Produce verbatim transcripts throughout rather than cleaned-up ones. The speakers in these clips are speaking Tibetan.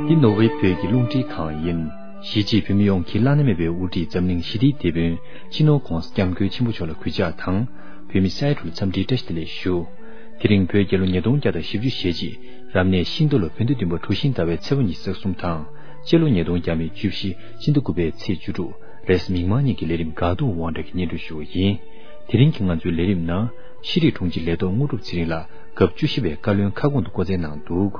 འདི་ནོར་ཝེ་བོད་ཀྱི་རླུང་འཕྲིན་ཁང་ཡིན། གཞིས་བྱེས་བོད་མི་ཡོངས་ཀྱི་བླ་ན་མེད་པའི་དབུ་ཁྲིད་འཛམ་གླིང་ཞི་བདེའི་དེད་དཔོན་སྤྱི་ནོར་ྋགོང་ས་ྋསྐྱབས་མགོན་ཆེན་པོ་མཆོག་ལ་གུས་ཕྱག་དང་། བོད་མི་ས་ཡ་དྲུག་ལ་འཚམས་འདྲིའི་བཀྲ་ཤིས་བདེ་ལེགས་ཞུ། དེ་རིང་བོད་རྒྱལ་ལོ་ཉིས་སྟོང་བརྒྱ་དང་བཞི་བཅུ་ཞེ་གཅིག་རབ་གནས་ཤིང་རྟ་ལོ་བོད་ཟླ་བདུན་པ་གྲུ་བཞི་ཟླ་བའི་ཚེས་པ་ཉི་ཤུ་རྩ་གསུམ་དང་། སྤྱི་ལོ་ཉིས་སྟོང་བརྒྱ་མེད་བཅུ་བཞི་སྤྱི་ཟླ་དགུ་པའི་ཚེས་བཅུ་དྲུག་རེས་གཟའ་མིག་དམར་ཉིན་གྱི་ལས་རིམ་དགའ་སྡུག་དབང་གྲགས་ཀྱིས་སྙན་སྒྲོན་ཞུ་བ་ཡིན། དེ་རིང་གི་ང་ཚོའི་ལས་རིམ་ནང་ཤེས་རིག་དྲུང་ཆེ་ལས་ཐོག་དངོས་གྲུབ་ཚེ་རིང་ལགས་སྐབས་བཅུ་བཞི་པའི་བཀའ་བློན་ཁ་སྐོང་དུ་བསྐོ་སྩལ་གནང་འདུག་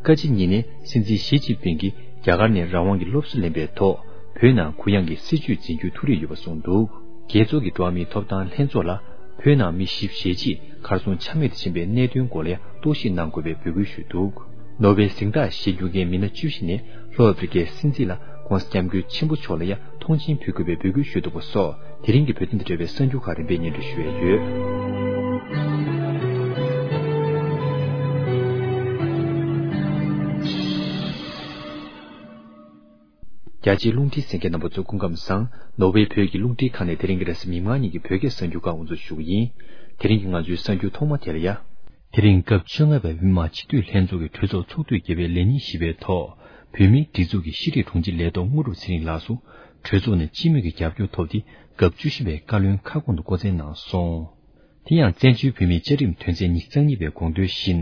བཀའ་སྤྱི་གཉིས་ནས་སྲིད་འཛིན་ཞི་ཅིན་ཕིང་གིས་རྒྱ་གར་ནས་རང་དབང་གི་སློབ་གསོ་ལེན་པའི་ཐོག་བོད་ནང་གུ་ཡངས་ཀྱི་སྲིད་བྱུས་འཛིན་རྒྱུའི་ཐུགས་རེ་ཡོད་པ་གསུངས་འདུག་རྒྱལ་ཚོགས་ཀྱི་འགྲོ་བ་མིའི་ཐོབ་ཐང་ལྷན་ཚོགས་ལ་བོད་ནང་མི་བཞི་བཅུ་ཞེ་གཅིག་གར་སོང་ཆ་མེད་དུ་ཕྱིན་པའི་གནད་དོན་སྐོར་ལ་ཡང་རྟོག་ཞིབ་གནང་དགོས་པའི་འབོད་སྐུལ་ཞུས་འདུག་ནོ་བེལ་གཟེངས་རྟགས་བཞེས་མྱོང་མཁན་མི་སྣ་བཅུ་བཞི་ནས་ལྷོ་ཨ་ཕི་རི་ཀའི་སྲིད་འཛིན་ལ་ྋགོང་ས་ྋསྐྱབས་མགོན་ཆེན་པོ་མཆོག་ལ་ཡང་མཐོང་མཆན་ཕུལ་དགོས་པའི་འབོད་སྐུལ་ཞུས་འདུག་པ་སོགས་དེ་རིང་གི་བོད་དོན་དང་འབྲེལ་བའི་གསར་འགྱུར་ཁག་རིམ་པས་སྙན་སྒྲོན་ཞུ་ཡས་ཡོད། རྒྱ་ཆེའི་རླུང་འཕྲིན་གསན་མཁན་རྣམ་པ་ཚོ་སྐུ་ཁམས་བཟང་། ནོར་ཝེ་བོད་ཀྱི་རླུང་འཕྲིན་ཁང་ནས་དེ་རིང་གི་རེས་གཟའ་མིག་དམར་ཉིན་གྱི་བོད་སྐད་གསར་འགྱུར་ཁག་དབུ་འཛུགས་ཞུ་གི་ཡིན། དེ་རིང་གི་ང་ཚོའི་གསར་འགྱུར་ཐོག་མ་དེ་ལ་ཡ། དེ་རིང་སྐབས་བཅོ་ལྔ་པའི་བོད་མི་མང་སྤྱི་འཐུས་ལྷན་ཚོགས་ཀྱི་གྲོས་ཚོགས་ཚོགས་དུས་བརྒྱད་པའི་ལས་ཉིན་བཞི་པའི་ཐོག་བོད་མིའི་སྒྲིག་འཛུགས་ཀྱི་ཤེས་རིག་དྲུང་ཆེ་ལས་ཐོག་དངོས་གྲུབ་ཚེ་རིང་ལགས་སུ་གྲོས་ཚོགས་ནས་སྤྱི་མོས་ཀྱི་རྒྱབ་སྐྱོར་ཐོབ་སྟེ་སྐབས་བཅུ་བཞི་པའི་བཀའ་བློན་ཁ་སྐོང་དུ་བསྐོ་སྩལ་གནང་སོང་། དེ་ཡང་བཙན་བྱོལ་བོད་མིའི་བཅའ་ཁྲིམས་དོན་ཚན་ཉི་ཤུ་རྩ་གཉིས་པའི་དགོངས་དོན་བཞིན་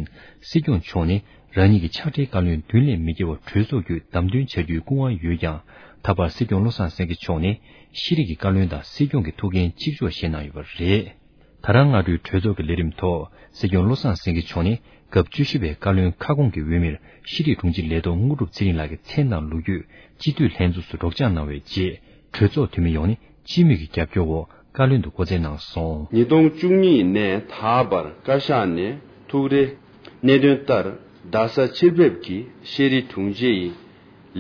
སྲིད་སྐྱོང་མཆོག་ནས་རང་ཉིད་ཀྱི་ཕྱག་སྦྲེལ་བཀའ་བློན་བདུན་ལས་མི་བརྒལ་བར་གྲོས་ཚོགས་བརྒྱུད་བདམས་ཐོན་བྱ་རྒྱུའི་སྐུ་དབང་ཡོད་ཀྱང་། ད་བར་སྲིད་སྐྱོང་བློ་བཟང་སེང་གེ་མཆོག་ནས་ཤེས་རིག་གི་བཀའ་བློན་དང་སྲིད་སྐྱོང་གི་ཐུགས་འགན་གཅིག་ལྕོགས་བཞེས་གནང་ཡོད་པ་རེད། ད་རང་སྔ་དྲོའི་གྲོས་ཚོགས་ཀྱི་ལས་རིམ་ཐོག་སྲིད་སྐྱོང་བློ་བཟང་སེང་གེ་མཆོག་ནས་སྐབས་བཅུ་བཞི་པའི་བཀའ་བློན་ཁ་སྐོང་གི་འོས་མིར་ཤེས་རིག་དྲུང་ཆེ་ལས་ཐོག་དངོས་གྲུབ་ཚེ་རིང་ལགས་ཀྱི་མཚན་དང་ལོ་རྒྱུས་སྤྱི་འཐུས་ལྷན་ཚོགས་སུ་སྒྲོག་སྦྱང་གནང་བའི་རྗེས་གྲོས་ཚོགས་འཐུས་མི་ཡོངས་ནས་སྤྱི་མོས་ཀྱི་རྒྱབ་སྐྱོར་འོག་བཀའ་བློན་དུ་བསྐོ་སྩལ་གནང་སོང་། ཉིས་སྟོང་བཅུ་གཉིས་ནས་ད་བར་བཀའ་ཤག་ནས་ཐུགས་རེ་གནད་དོན་ལྟར་རྡ་ས་ཕྱིར་ཕེབས་ཀྱིས་ཤེས་རིག་དྲུང་ཆེ་ཡི་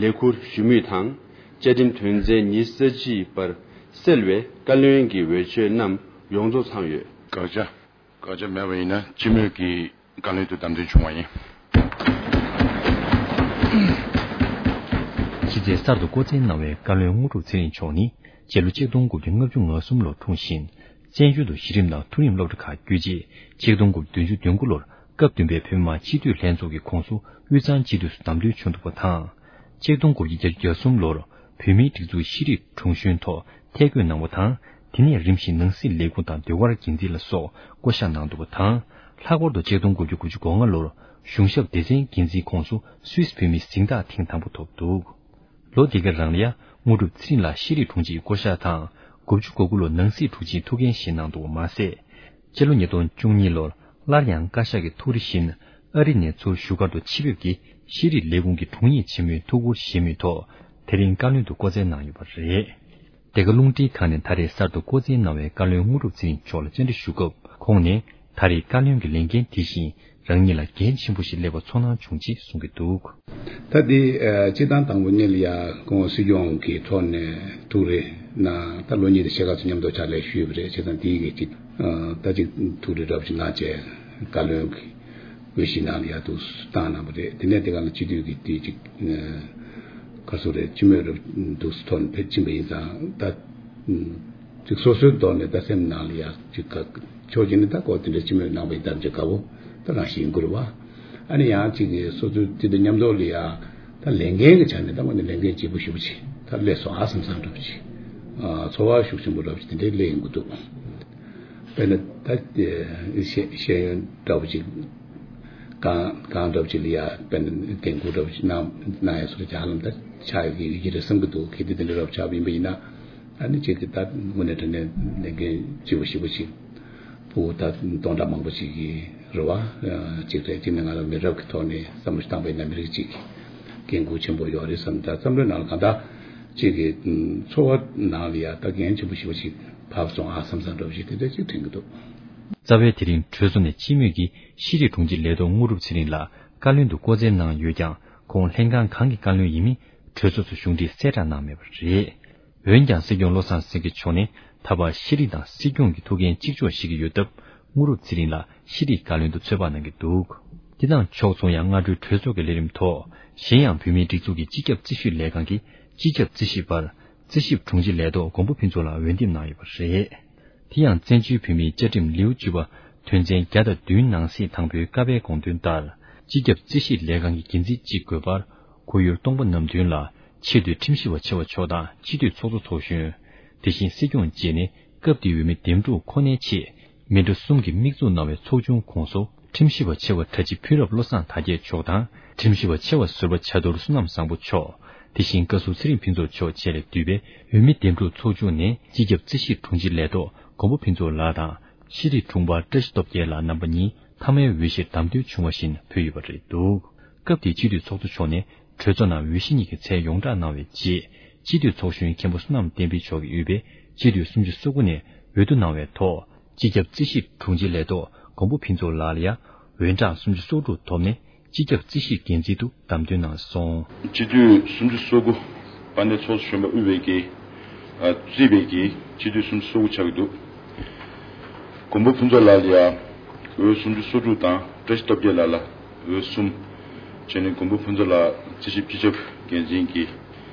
ལས་ཁུར་ཞུ་མུས་དང་། བཅའ་ཁྲིམས་དོན་ཚན་ཉི་ཤུ་རྩ་གཅིག་པར་གསལ་བའི་བཀའ་བློན་གྱི་འོས་ཆོས་རྣམས་ཡོངས་རྫོགས་ཚང་ཡོད། དགག་བྱ། དགག་བྱ་མེད་པ་ཡིན་ན་སྤྱི་མོས་ཀྱི་བཀའ་བློན་དུ་བདམས་ཐོན་བྱུང་བ་ཡིན། ཕྱི་ཚེས་གསར་དུ་བསྐོ་སྩལ་གནང་བའི་བཀའ་བློན་དངོས་གྲུབ་ཚེ་རིང་མཆོག་ནི་སྤྱི་ལོ་ཆིག་སྟོང་དགུ་བརྒྱ་ལྔ་བཅུ་ང་གསུམ་ལོར་འཁྲུངས་ཤིང་། བཙན་བྱོལ་དུ་གཞི་རིམ་དང་མཐོ་རིམ་སློབ་གྲྭ་ཁག་བརྒྱུད་རྗེས་ཆིག་སྟོང་དགུ་བརྒྱ་བདུན་ཅུ་དོན་དགུ་ལོར་སྐབས་བདུན་པའི་བོད་མི་མང་སྤྱི་འཐུས་ལྷན་ཚོགས་ཀྱི་ཁོངས་སུ་དབུས་གཙང་སྤྱི་འཐུས་སུ་བདམས་ཐོན་བྱུང་འདུག་པ་དང་། ཆིག་སྟོང་དགུ་བརྒྱ་བརྒྱད་ཅུ་གྱ་གསུམ་ལོར་བོད་མིའི་སྒྲིག་འཛུགས་ཤེས་རིག་དྲུང་གཞོན་ཐོག་ཐད་བསྐོས་གནང་བ་དང་། དེ་ནས་རིམ་བཞིན་ནང་སྲིད་ལས་ཁུངས་དང་ཟློས་གར་འགན་འཛིན་ལ་སོགས་བསྐོ་གཞག་གནང་འདུག་པ་དང་། ལྷག་པར་དུ་ཆིག་སྟོང་དགུ་བརྒྱ་དགུ་ཅུ་གོ་ལྔ་ལོར་གཞུང་ཞབས་སྡེ་ཚན་འགན་འཛིན་ཁོངས་སུ་སུད་སི་བོད་མིའི་གཟེངས་རྟགས་ཐེངས་དང་པོ་ཐོབ་འདུག་ལོ་འདི་ག་རང་ལ་ཡང་དངོས་གྲུབ་ཚེ་རིང་ལགས་ཤེས་རིག་དྲུང་ཆེའི་བསྐོ་གཞག་དང་། དགུ་བཅུ་གོ་དགུ་ལོར་ནང་སྲིད་དྲུང་ཆེའི་ཐུགས་འགན་བཞེས་གནང་འདུག་པ་མ་ཟད། སྤྱི་ལོ་ཉིས་སྟོང་བཅུ་གཉིས་ལོར་སླར་ཡང་བཀའ་ཤག་གི་ཐུགས་རེ་བཞིན་ཨ་རི་ནས་ཚུར་བཞུགས་སྒར་དུ་ཆེད་ཕེབས་ཀྱིས་ཤེས་རིག་ལས་ཁུངས་ཀྱི་དྲུང་ཡིག་ཆེན་མོའི་ཐུགས་ཁུར་བཞེས་མུས་ཐོག་དེ་རིང་བཀའ་བློན་དུ་བསྐོ་སྩལ་གནང་ཡོད་པ་རེད། འདི་ག་རླུང་འཕྲིན་ཁང་ནས་ད་རེས་གསར་དུ་བསྐོ་སྩལ་གནང་བའི་བཀའ་བློན་དངོས་གྲུབ་ཚེ་རིང་མཆོག་ལ་བཅར་འདྲི་ཞུ་སྐབས་ཁོང་ནས་ད་རེས་བཀའ་བློན་གྱི་ལས་འགན་དེ་བཞིན་རང་ཉིད་ལ་འགན་ཆེན་པོ་ཞིག་སླེབས་པར་ཚོར་སྣང་བྱུང་ཅེས་གསུང་གི་འདུག་ད་དེ་ཨ་སྤྱིར་བཏང་དང་པོ་ཉིད་ལ་ཡ་ཁོང་སྲིད་སྐྱོང་གི་ཐོག་ནས་ཐུགས་རེ་གནང་། ད་ལོ་གཉིས་དང་ཕྱེད་ཀ་ཙམ་མཉམ་དུ་ཕྱག་ལས་ཞུས་པ་རེད། བྱས་ཙང་དེའི་གི་ཅིག་ཨ་ད་ཅིག་ཐུགས་རེ་འདྲ་པོ་ཅིག་གནང་བྱས་བཀའ་བློན་གྱི་འོས་གཞི་ནང་ལ་ཡ་འདུག་བཏང་གནང་བ་རེད། དེ་ནས་དེ་ག་ལ་སྤྱི་འཐུས་ཀྱི་དེ་ཅིག་ཨ་ག་སུ་རེད། སྤྱི་མོས་རུ་འདུག་ཐོག་ནས་ཕེབས་ཕྱིན་པ་ཡིན་ཙང་ད། ཅིག་སོ་སོའི་ཐོག་ནས་ད་སེམས་ནང་ལ་ཡ་ཅིག་ག་ཕྱོགས་གཅིག་ནས་ད་ཁོ་དེ་འདྲ་སྤྱི་མོས་གནང་བ་ཡིན་ད་ཅིག་དགའ་བོ་ད་རང་བཞིན་ཡིན་དགོས་རེད་བ། ཨ་ནི་ཡང་ཅིག་གི་སོ་སོའི་དེ་དང་མཉམ་དུ་ལ་ཡ་ད་ལས་འགན་གྱི་ཆ་ནས་ད་ང་ནི་ལས་འགན་ལྗིད་པོ་ཞེ་པོ་ཅིག་ད་སླེབས་སོང་ཨ་བསམ་བསམ་འདྲ་པོ་ཅིག་ཨ་ཚོར་བ་ཤུགས་ཆེན་པོ་འདྲ་པོ་ཅིག་དེ་འདྲའི་སླེབས་ཡོང་གི་འདུག་དཔེར་ན་ད་ཤེས་ཤེས་ཡོན་འདྲ་པོ་ཅིག་གང་གང་འདྲ་པོ་ཅིག་ལ་ཡ་དཔེར་ན་འགན་ཁུར་འདྲ་པོ་ཅིག་གནང་གནང་ཡ་སོ་རེ་ཅིག་ཧ་ལམ་ད་ཆགས་ཡོད་ཀྱི་ཡོད་ཀྱི་རེད་བསམ་གྱི་འདུག་གལ་ཏེ་དེ་འདྲ་འདྲ་པོ་ཆགས་པ་ཡིན་པ་ཡིན་ན། ཨ་ནི་ཅིག་གི་ད་དངོས་གནས་དྲང་གནས་ལས་འགན་ལྗིད་པོ་ཞེ་པོ་ཅིག་ཕྲུ་གུ་ད་སྟོང་ཕྲག་མང་པོ་ཅིག་གི་རེ་བ་ཅིག་རེད། ཅིག་ནས་ང་ལ་མི་རབས་ཀྱི་ཐོག་ནས་བསམ་བློ་ཞིག་བཏང་པ་ཡིན་ན་མི་རིགས་ཅིག་གི་འགན་ཁུར་ཆེན་པོ་ཡོད་རེད་བསམ། ད་བསམ་བློའི་ནང་ལ་གང་ལྟར་ཅིག་གི་ཚོར་བ་ནང་ལ་ཡ་ད་འགན་ཆེན་པོ་ཞེ་པོ་ཅིག་བབས་སོང་ཨ་བསམ་བསམ་འདྲ་པོ་ཞིག་དེ་འདྲ་ཅིག་དྲན་གྱི་འདུག་རྩ་བའི་དེ་རིང་གྲོས་ཚོགས་ནས་སྤྱི་མོས་ཀྱིས་ཤེས་རིག་དྲུང་ཆེ་ལས་ཐོག་དངོས་གྲུབ་ཚེ་རིང་ལགས་བཀའ་བློན་དུ་བསྐོ་སྩལ་གནང་ཡོད་ཀྱང་ཁོང་ལྷན་ཁང་གང་གི་བཀའ་བློན་ཡིན་མིན་གྲོས་ཚོགས་སུ་གཞུང་འབྲེལ་གསལ་བསྒྲགས་གནང་མེད་པ་རེད། འོན་ཀྱང་སྲིད་སྐྱོང་བློ་བཟང་སེང་གེ་མཆོག་ནས་ད་བར་ཤེས་རིག་དང་སྲིད་སྐྱོང་གི་ཐུགས་འགན་གཅིག་ལྕོགས་བཞེས་ཀྱི་ཡོད་སྟབས་དངོས་གྲུབ་ཚེ་རིང་ལགས་ཤེས་རིག་བཀའ་བློན་དུ་ཚོད་དཔག་གནང་གི་འདུག་དེ་དང་ཕྱོགས་མཚུངས་ཡང་སྔ་དྲོའི་གྲོས་ཚོགས་ཀྱི་ལས་རིམ་ཐོག་གཞན་ཡང་བོད་མིའི་སྒྲིག་འཛུགས་ཀྱི་སྤྱི་ཁྱབ་རྩིས་ཞིབ་ལས་ཁང་གི་སྤྱི་ཁྱབ་རྩིས་ཞིབ་པར་རྩིས་ཞིབ་དྲུང་ཆེ་ལས་ཐོག་མགོན་པོ་ཕུན་ཚོགས་ལགས་འོས་འདེམས་གནང་ཡོད་པ་རེད། དེ་ཡང་བཙན་བྱོལ་བོད་མིའི་བཅའ་ཁྲིམས་ལེའུ་བཅུ་པ་དོན་ཚན་བརྒྱ་དང་བདུན་ནང་གསེས་དང་པོའི་ཀ་པའི་དགོངས་དོན་ལྟར་སྤྱི་ཁྱབ་རྩིས་ཞིབ་ལས་ཁང་གི་འགན་འཛིན་གཅིག་དགོས་པར། ཁོར་ཡུག་སྟོང་པ་ནམ་དོན་ལ་ཆེས་མཐོའི་ཁྲིམས་ཞིབ་པ་ཆེ་བ་མཆོག་དང་སྤྱི་འཐུས་ཚོགས་གཙོ་ཚོགས་གཞོན། དེ་བཞིན་སྲིད་སྐྱོང་བཅས་ནས་སྐབས་དེའི་འོས་མི་འདེམས་སྒྲུག་ཁོ་ནའི་ཆེད་མི་འདྲ་གསུམ་གྱིས་དམིགས་འཛུགས་གནང་བའི་ཚོགས་ཆུང་ཁོངས་སུ་ཁྲིམས་ཞིབ་པ་ཆེ་བ་གྲྭ་སྤྱི་ཕུན་རབ་བློ་བཟང་དར་རྒྱས་མཆོག་དང་ཁྲིམས་ཞིབ་པ་ཆེ་བ་ཟུར་པ་བྱ་དུར་བསོད་ནམས་བཟང་པོ་མཆོག་དེ་བཞིན་བཀའ་ཟུར་ཚེ་རིང་ཕུན་ཚོགས་མཆོག་བཅས་ལས་བསྡུས་པའི་འོས་མི་འདེམས་སྒྲུག་ཚོགས་ཆུང་ནས་སྤྱི་ཁྱབ་རྩིས་ཞིབ་དྲུང་ཆེ་ལས་ཐོག་མགོན་པོ་ཕུན་ཚོགས་ལགས་དང་། ཤེས་རིག་དྲུང་འཕར་བཀྲ་ཤིས་སྟོབས་རྒྱལ་ལགས་རྣམ་པ་གཉིས་མཐའ་མའི་འོས་གཞིར་བདམས་ཐོན་བྱུང་བ་བཞིན་ཕུལ་ཡོད་པ་རེད་འདུག་སྐབས་དེའི་སྤྱི་འཐུས་ཚོགས་གཙོ་མཆོག་ནས་གྲོས་ཚོགས་ནང་འོས་གཞི་གཉིས་ཀྱི་མཚན་ཡོངས་བསྒྲགས་གནང་བའི་རྗེས། སྤྱི་འཐུས་ཚོགས་གཞོན་མཁན་པོ་བསོད་ནམས་བསྟན་འཕེལ་མཆོག་གིས་དབུས་པའི་སྤྱི་འཐུས་སུམ་ཅུ་སོ་དགུ་ནས་འོས་བསྡུ་གནང་བའི་ཐོག་སྤྱི་ཁྱབ་རྩིས་ཞིབ་དྲུང་ཆེ་ལས་ཐོག་མགོན་པོ་ཕུན་ཚོགས་ལགས་ལ་ཡང་འོས་གྲངས་སུམ་ཅུ་སོ་དྲུག་ཐོབ་ནས། སྤྱི་ཁྱབ་རྩིས་ཞིབ་འགན་འཛིན་དུ་བདམས་ཐོན་གནང་སོང་། སྤྱི་འཐུས་སུམ་ཅུ་སོ་དགུ་དཔལ་ལྡན་ཚོགས་གཙོ་གཞོན་པ་དབུས་པའི་གི་ཨ་རྩིས་པའི་གི་སྤྱི་འཐུས་སུམ་ཅུ་སོ་དགུ་ཆགས་ཀྱི་འདུག་མགོན་པོ་ཕུན་ཚོགས་ལགས་ལ་ཡ་འོས་སུམ་ཅུ་སོ་དྲུག་དང་བཀྲ་ཤིས་སྟོབས་རྒྱལ་ལགས་ལ་འོས་གསུམ། བྱས་ནས་མགོན་པོ་ཕུན་ཚོགས་ལགས་རྩིས་ཞིབ་སྤྱི་ཁྱབ་འགན་འཛིན་གྱི་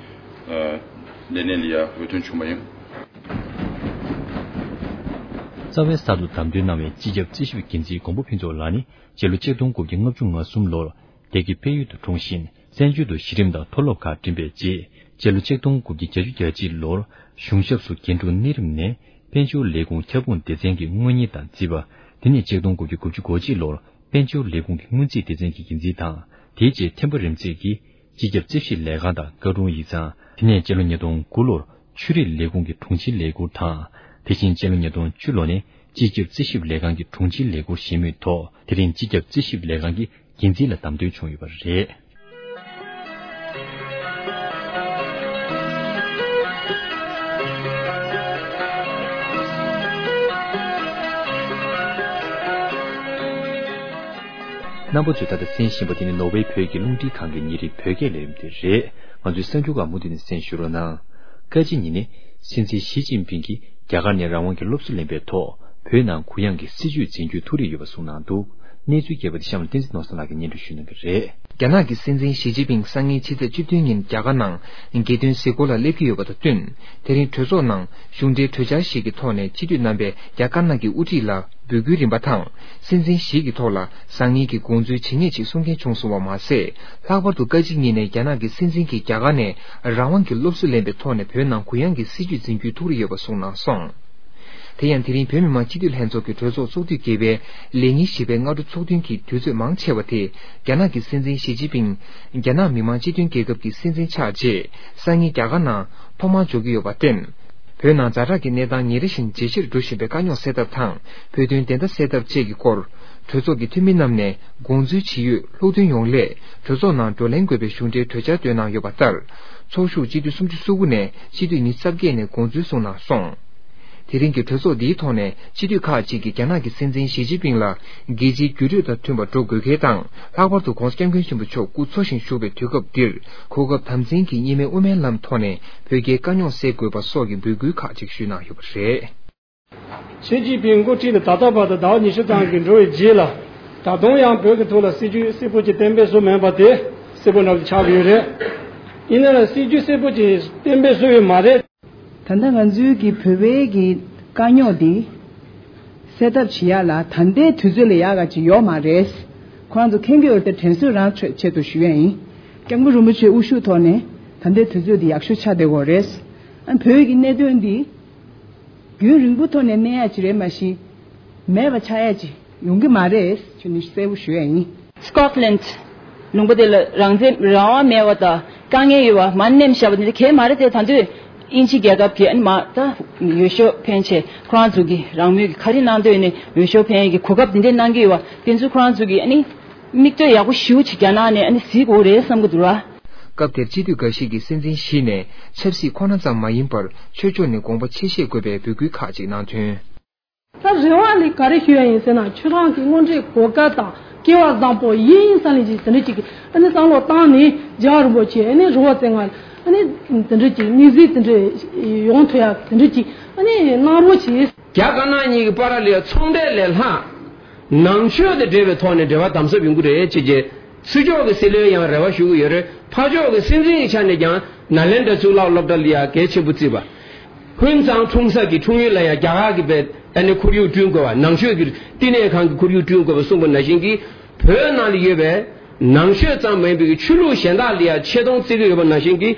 ཨ་ལས་གནས་ལ་ཡ་འོས་ཐོན་བྱུང་བ་ཡིན། རྩ་བའི་གསར་དུ་བདམས་ཐོན་གནང་བའི་སྤྱི་ཁྱབ་རྩིས་ཞིབ་འགན་འཛིན་མགོན་པོ་ཕུན་ཚོགས་ལགས་ནི་སྤྱི་ལོ་ཆིག་སྟོང་དགུ་བརྒྱ་ལྔ་བཅུ་ང་གསུམ་ལོར་སྡེ་དགེ་དཔལ་ཡུལ་དུ་འཁྲུངས་ཤིང་། བཙན་བྱོལ་དུ་གཞི་རིམ་དང་མཐོ་སློབ་ཁག་འགྲིམས་པའི་རྗེས། སྤྱི་ལོ་ཆིག་སྟོང་དགུ་བརྒྱ་བརྒྱད་ཅུ་གྱ་གཅིག་ལོར་གཞུང་ཞབས་སུ་རྒན་དྲུང་གནས་རིམ་ནས་དཔལ་འབྱོར་ལས་ཁུངས་ཁྱབ་ཁོངས་སྡེ་ཚན་གྱི་དངུལ་གཉེར་དང་རྩིས་པ། དེ་ནས་ཆིག་སྟོང་དགུ་བརྒྱ་དགུ་བཅུ་གོ་གཅིག་ལོར་དཔལ་འབྱོར་ལས་ཁུངས་ཀྱི་སྔོན་རྩིས་སྡེ་ཚན་གྱི་འགན་འཛིན་དང་། དེའི་རྗེས་ཐེམ་པ་རིམ་འཛེགས་ཀྱིས་སྤྱི་ཁྱབ་རྩིས་ཞིབ་ལས་ཁང་དང་བཀའ་དྲུང་ཡིག་ཚང་། དེ་ནས་སྤྱི་ལོ་ཉིས་སྟོང་དགུ་ལོར་ཆོས་རིག་ལས་ཁུངས་ཀྱི་དྲུང་ཆེའི་ལས་ཁུར་དང་། དེ་བཞིན་སྤྱི་ལོ་ཉིས་སྟོང་བཅུ་ལོ་ནས་སྤྱི་ཁྱབ་རྩིས་ཞིབ་ལས་ཁང་གི་དྲུང་ཆེའི་ལས་ཁུར་བཞེས་མུས་ཐོག་དེ་རིང་སྤྱི་ཁྱབ་རྩིས་ཞིབ་ལས་ཁང་གི་འགན་འཛིན་ལ་བདམས་ཐོན་བྱུང་ཡོད་པ་རེད། རྣམ་པ་ཚོས་ད་ལྟ་གསན་བཞིན་པ་དེ་ནི་ནོར་ཝེ་བོད་ཀྱི་རླུང་འཕྲིན་ཁང་གི་ཉིན་རེའི་བོད་སྐད་ལས་རིམ་དེ་རེད། ང་ཚོའི་གསར་འགྱུར་ཁག་མུ་མཐུད་ནས་གསན་ཞུ་རོགས་གནང་། བཀའ་སྤྱི་ཉིན་ནས་སྲིད་འཛིན་ཞི་ཅིན་ཕིང་གིས་རྒྱ་གར་ནས་རང་དབང་གི་སློབ་གསོ་ལེན་པའི་ཐོག་བོད་ནང་གུ་ཡངས་ཀྱི་སྲིད་བྱུས་འཛིན་རྒྱུའི་ཐུགས་རེ་ཡོད་པ་གསུངས་གནང་འདུག་གནས་ཚུལ་རྒྱས་པ་དེ་གཤམ་ལ་བསྟན་འཛིན་ནོར་བཟང་ལགས་ཀྱིས་སྙན་སྒྲོན་ཞུ་གནང་གི་རེད། རྒྱ་ནག་གི་སྲིད་འཛིན་ཞི་ཅིན་ཕིང་སང་ཉིན་ཕྱི་ཚེས་བཅུ་བདུན་ཉིན་རྒྱ་གར་ནང་རྒྱལ་དོན་གཟིགས་སྐོར་ལ་སླེབས་ཀྱི་ཡོད་པ་དང་བསྟུན། དེ་རིང་གྲོས་ཚོགས་ནང་གཞུང་འབྲེལ་གྲོས་འཆར་ཞིག་གི་ཐོག་ནས་སྤྱི་འཐུས་རྣམ་པས་རྒྱ་དཀར་ནག་གི་དབུ་ཁྲིད་ལ་འབོད་སྐུལ་རིམ་པ་དང་། སྲིད་འཛིན་ཞི་གི་ཐོག་ལ་བཟང་ངན་གྱི་དགོངས་ཚུལ་ཇི་སྙེད་ཅིག་གསུང་མཁན་བྱུང་སོང་བ་མ་ཟད། ལྷག་པར་དུ་བཀའ་སྤྱི་གཉིས་ནས་རྒྱ་ནག་གི་སྲིད་འཛིན་གྱིས་རྒྱ་གར་ནས་རང་དབང་གི་སློབ་གསོ་ལེན་པའི་ཐོག་ནས་བོད་ནང་གུ་ཡངས་ཀྱི་སྲིད་བྱུས་འཛིན་རྒྱུའི་ཐུགས་རེ་ཡོད་པ་གསུངས་གནང་སོང་། དེ་ཡང་དེ་རིང་བོད་མི་མང་སྤྱི་འཐུས་ལྷན་ཚོགས་ཀྱི་གྲོས་ཚོགས་ཚོགས་དུས་བརྒྱད་པའི་ལས་ཉིན་བཞི་པའི་སྔ་དྲོ་ཚོགས་ཐུན་གྱི་དུས་ཚོད་མང་ཆེ་བ་དེ་རྒྱ་ནག་གི་སྲིད་འཛིན་ཞི་ཅིན་ཕིང་རྒྱ་ནག་མི་དམངས་སྤྱི་མཐུན་རྒྱལ་ཁབ་ཀྱི་སྲིད་འཛིན་ཆགས་རྗེས་སང་ཉིན་རྒྱ་གར་ནང་ཐོག་མར་འབྱོར་གྱི་ཡོད་པར་བརྟེན། བོད་ནང་ཛ་དྲག་གི་གནས་སྟངས་ཉིན་རེ་བཞིན་ཇེ་ཆེར་འགྲོ་བཞིན་པའི་དཀའ་རྙོག་སེལ་ཐབས་དང་བོད་དོན་བདེན་མཐའ་གསལ་ཐབས་བཅས་ཀྱི་སྐོར། གྲོས་ཚོགས་ཀྱི་འཐུས་མི་རྣམས་ནས་དགོངས་ཚུལ་ཇི་ཡོད་ལྷུག་འདོན་ཡོང་སླད་གྲོས་ཚོགས་ནང་བགྲོ་གླེང་དགོས་པའི་གཞུང་འབྲེལ་གྲོས་འཆར་བཏོན་གནང་ཡོད་པ་ལྟར། ཚོགས་ཞུགས་སྤྱི་འཐུས་སུམ་ཅུ་སོ་དགུ་ནས་སྤྱི་འཐུས་ཉི་ཤུ་རྩ་བརྒྱད་ནས་དགོངས་ཚུལ་གསུངས་གནང་སོང་། དེ་རིང་གི་གྲོས་ཚོགས་འདིའི་ཐོག་ནས་སྤྱི་འཐུས་ཁག་ཅིག་གིས་རྒྱ་ནག་གི་སྲིད་འཛིན་ཞི་ཅིན་ཕིང་ལ་རྒྱལ་སྤྱིའི་འགྱུར་འགྲོས་དང་མཐུན་པར་འགྲོ་དགོས་གལ་དང་། ལྷག་པར་དུ་༧གོང་ས་༧སྐྱབས་མགོན་ཆེན་པོ་མཆོག་སྐུ་འཚོ་ཞིང་བཞུགས་པའི་དུས་སྐབས་འདིར་གོ་སྐབས་དམ་འཛིན་གྱིས་གཉིས་སྨན་དབུ་མའི་ལམ་ཐོག་ནས་བོད་རྒྱའི་དཀའ་རྙོག་སེལ་དགོས་པ་སོགས་ཀྱི་འབོད་སྐུལ་ཁག་ཅིག་ཞུས་གནང་ཡོད་པ་རེད། ཞི་ཅིན་ཕིང་འགོ་ཁྲིད་ནས་ད་ལྟ་བར་དུ་ཟླ་བ་ཉི་ཤུ་ཙམ་ཞིག་འགྲོ་བའི་རྗེས་ལ། ད་དུང་ཡང་བོད་ཀྱི་ཐོག་ལ་སྲིད་ཇུས་གསལ་པོ་ཅིག་གཏན་འབེབས་བཟོ་མེད་པ་དེ་གསལ་པོ་འདྲ་པོ་ཅིག་ཆགས་ཀྱི་ཡོད་རེད། ཡིན་ན་ཡང་སྲིད་ཇུས་གསལ་པོ་ཅིག་གཏན་འབེབས་བཟོ་ཡོད་མ་རེད། ད་ལྟ་ང་ཚོའི་གི་བོད་པའི་གི་དཀའ་རྙོག་འདི་སེལ་ཐབས་བྱེད་ཡག་ལ་ད་ལྟའི་དུས་ཚོད་ལ་ཡག་ག་ཅིག་ཡོད་མ་རེད། ཁོ་རང་ཚོ་མཁྱེན་གྱི་ཡོད་རེད་དེ་དྲན་གསོ་རང་ཆེད་དུ་ཞུ་ཡ་ཡིན། སྐྱབས་མགོན་རིན་པོ་ཆེའི་དབུ་བཞུགས་ཐོག་ནས་ད་ལྟའི་དུས་ཚོད་འདི་ཡག་ཤོས་ཆགས་བསྡད་ཡོད་རེད། ཨ་བོད་ཀྱི་གནད་དོན་འདི་རྒྱུན་རིང་པོ་ཐོག་ནས་གནས་ཡ་ཅིག་རེད་མ་གཞི། མེད་པ་ཆགས་ཡ་ཅིག་ཡོང་གི་མ་རེད་ཅེས་ནས་གསལ་པོ་ཞུ་ཡ་ཡིན། སི་ཀོཊ་ལེནཌ་ལུང་པ་དེ་ལ་རང་བཙན་རང་དབང་མེད་པ་དང་དཀའ་ངལ་ཡོད་པ་མར་མནན་བཞག་པ་དེ་འདྲ་གང་ཡང་མ་རེད་དེ། ད་དུང་དབྱིན་ཇི་རྒྱལ་ཁབ་ཀྱིས་ཨ་ནི་མར་ད་འོས་ཤོག་འཕེན་བྱས་ཁོ་རང་ཚོ་གི་རང་མོས་ཀྱི་ག་རེ་གནང་འདོད་ནས་འོས་ཤོག་འཕེན་ཡས་ཀྱི་གོ་སྐབས་དེ་འདྲ་གནང་གི་ཡོད་པ་དེ་ཚོ་ཁོ་རང་ཚོ་གི་ཨ་ནི་མིག་ལྟོས་ཡག་པོ་ཞེ་པོ་ཅིག་རྒྱ་ནག་ནས་ཨ་ནི་གཟིགས་དགོས་རེད་བསམ་གྱི་འདུག་ར། སྐབས་དེར་སྤྱི་འཐུས་འགའ་ཞིག་གིས་སྲིད་འཛིན་ཞི་ནས་ཆབ་སྲིད་ཁོ་ན་ཙམ་མ་ཡིན་པར་ཆོས་ཕྱོགས་ནས་དགོངས་པ་ཆེ་བཞེས་དགོས་པའི་འབོད་སྐུལ་ཁག་ཅིག་གནང་དོན། ད་རེ་བ་ལས་ག་རེ་ཞུ་ཡ་ཡིན་ཟེར་ན་ཁྱོད་རང་གི་དངོས་འབྲེལ་གོ་སྐབས་དང་སྐལ་བ་བཟང་པོ་ཡིན་ཡིན་བསམ་ལས་ཀྱི་དེ་འདྲ་ཅིག་གི་ཨ་ནི་བསམ་བློ་བཏང་ནས་རྒྱལ་བ་རིན་པོ་ཆེ་ཨ་ནི་རི་བོ་རྩེ་ལྔ་ཨ་ནི་དེ་འདྲ་ཅིག་དམིགས་བསལ་དེ་འདྲ་ཡོང་ཐུབ་ཡ་དེ་འདྲ་ཅིག་ཨ་ནི་གནང་རོགས་བྱེད། རྒྱ་དཀར་ནག་གཉིས་ཀྱི་བར་ལ་ཚོང་འབྲེལ་ལས་ལྷག་ནང་ཆོས་དང་འབྲེལ་བའི་ཐོག་ནས་འབྲེལ་བ་དམ་ཟབ་ཡོང་གི་རེད་ཅེས་བྱས། ཕྱི་ཕྱོགས་ཀྱི་སྲིད་བློན་ཡང་རེ་བ་ཞུ་གི་ཡོད་རེད། ཕར་ཕྱོགས་ཀྱི་སྲིད་འཛིན་གྱི་ཆ་ནས་ཀྱང་ནཱ་ལེནྡྲ་གཙུག་ལག་སློབ་གྲྭ་ལ་ཡ་གལ་ཆེན་པོ་བརྩིས་པ། ཧུན་གཙང་འཁྲུངས་ས་ཀྱི་འཁྲུངས་ཡུལ་ལ་ཡ་རྒྱ་གར་གྱི་བས་ཨ་ནི་ཁོར་ཡུག་བསྐྲུན་དགོས་པ། ནང་ཆོས་ཀྱི་བསྟི་གནས་ཁང་གི་ཁོར་ཡུག་བསྐྲུན་དགོས་པ་གསུངས་པ་ནང་བཞིན་གྱི་བོད་ནང་ལ་ཡོད་པའི་ ནང་ཆོས་ཙམ་མིན་པའི་ཆོས་ལུགས་གཞན་དག་ལ་ཡང་ཆེ་མཐོང་བརྩི་གི་ཡོད་པ་ནང་བཞིན་གྱི་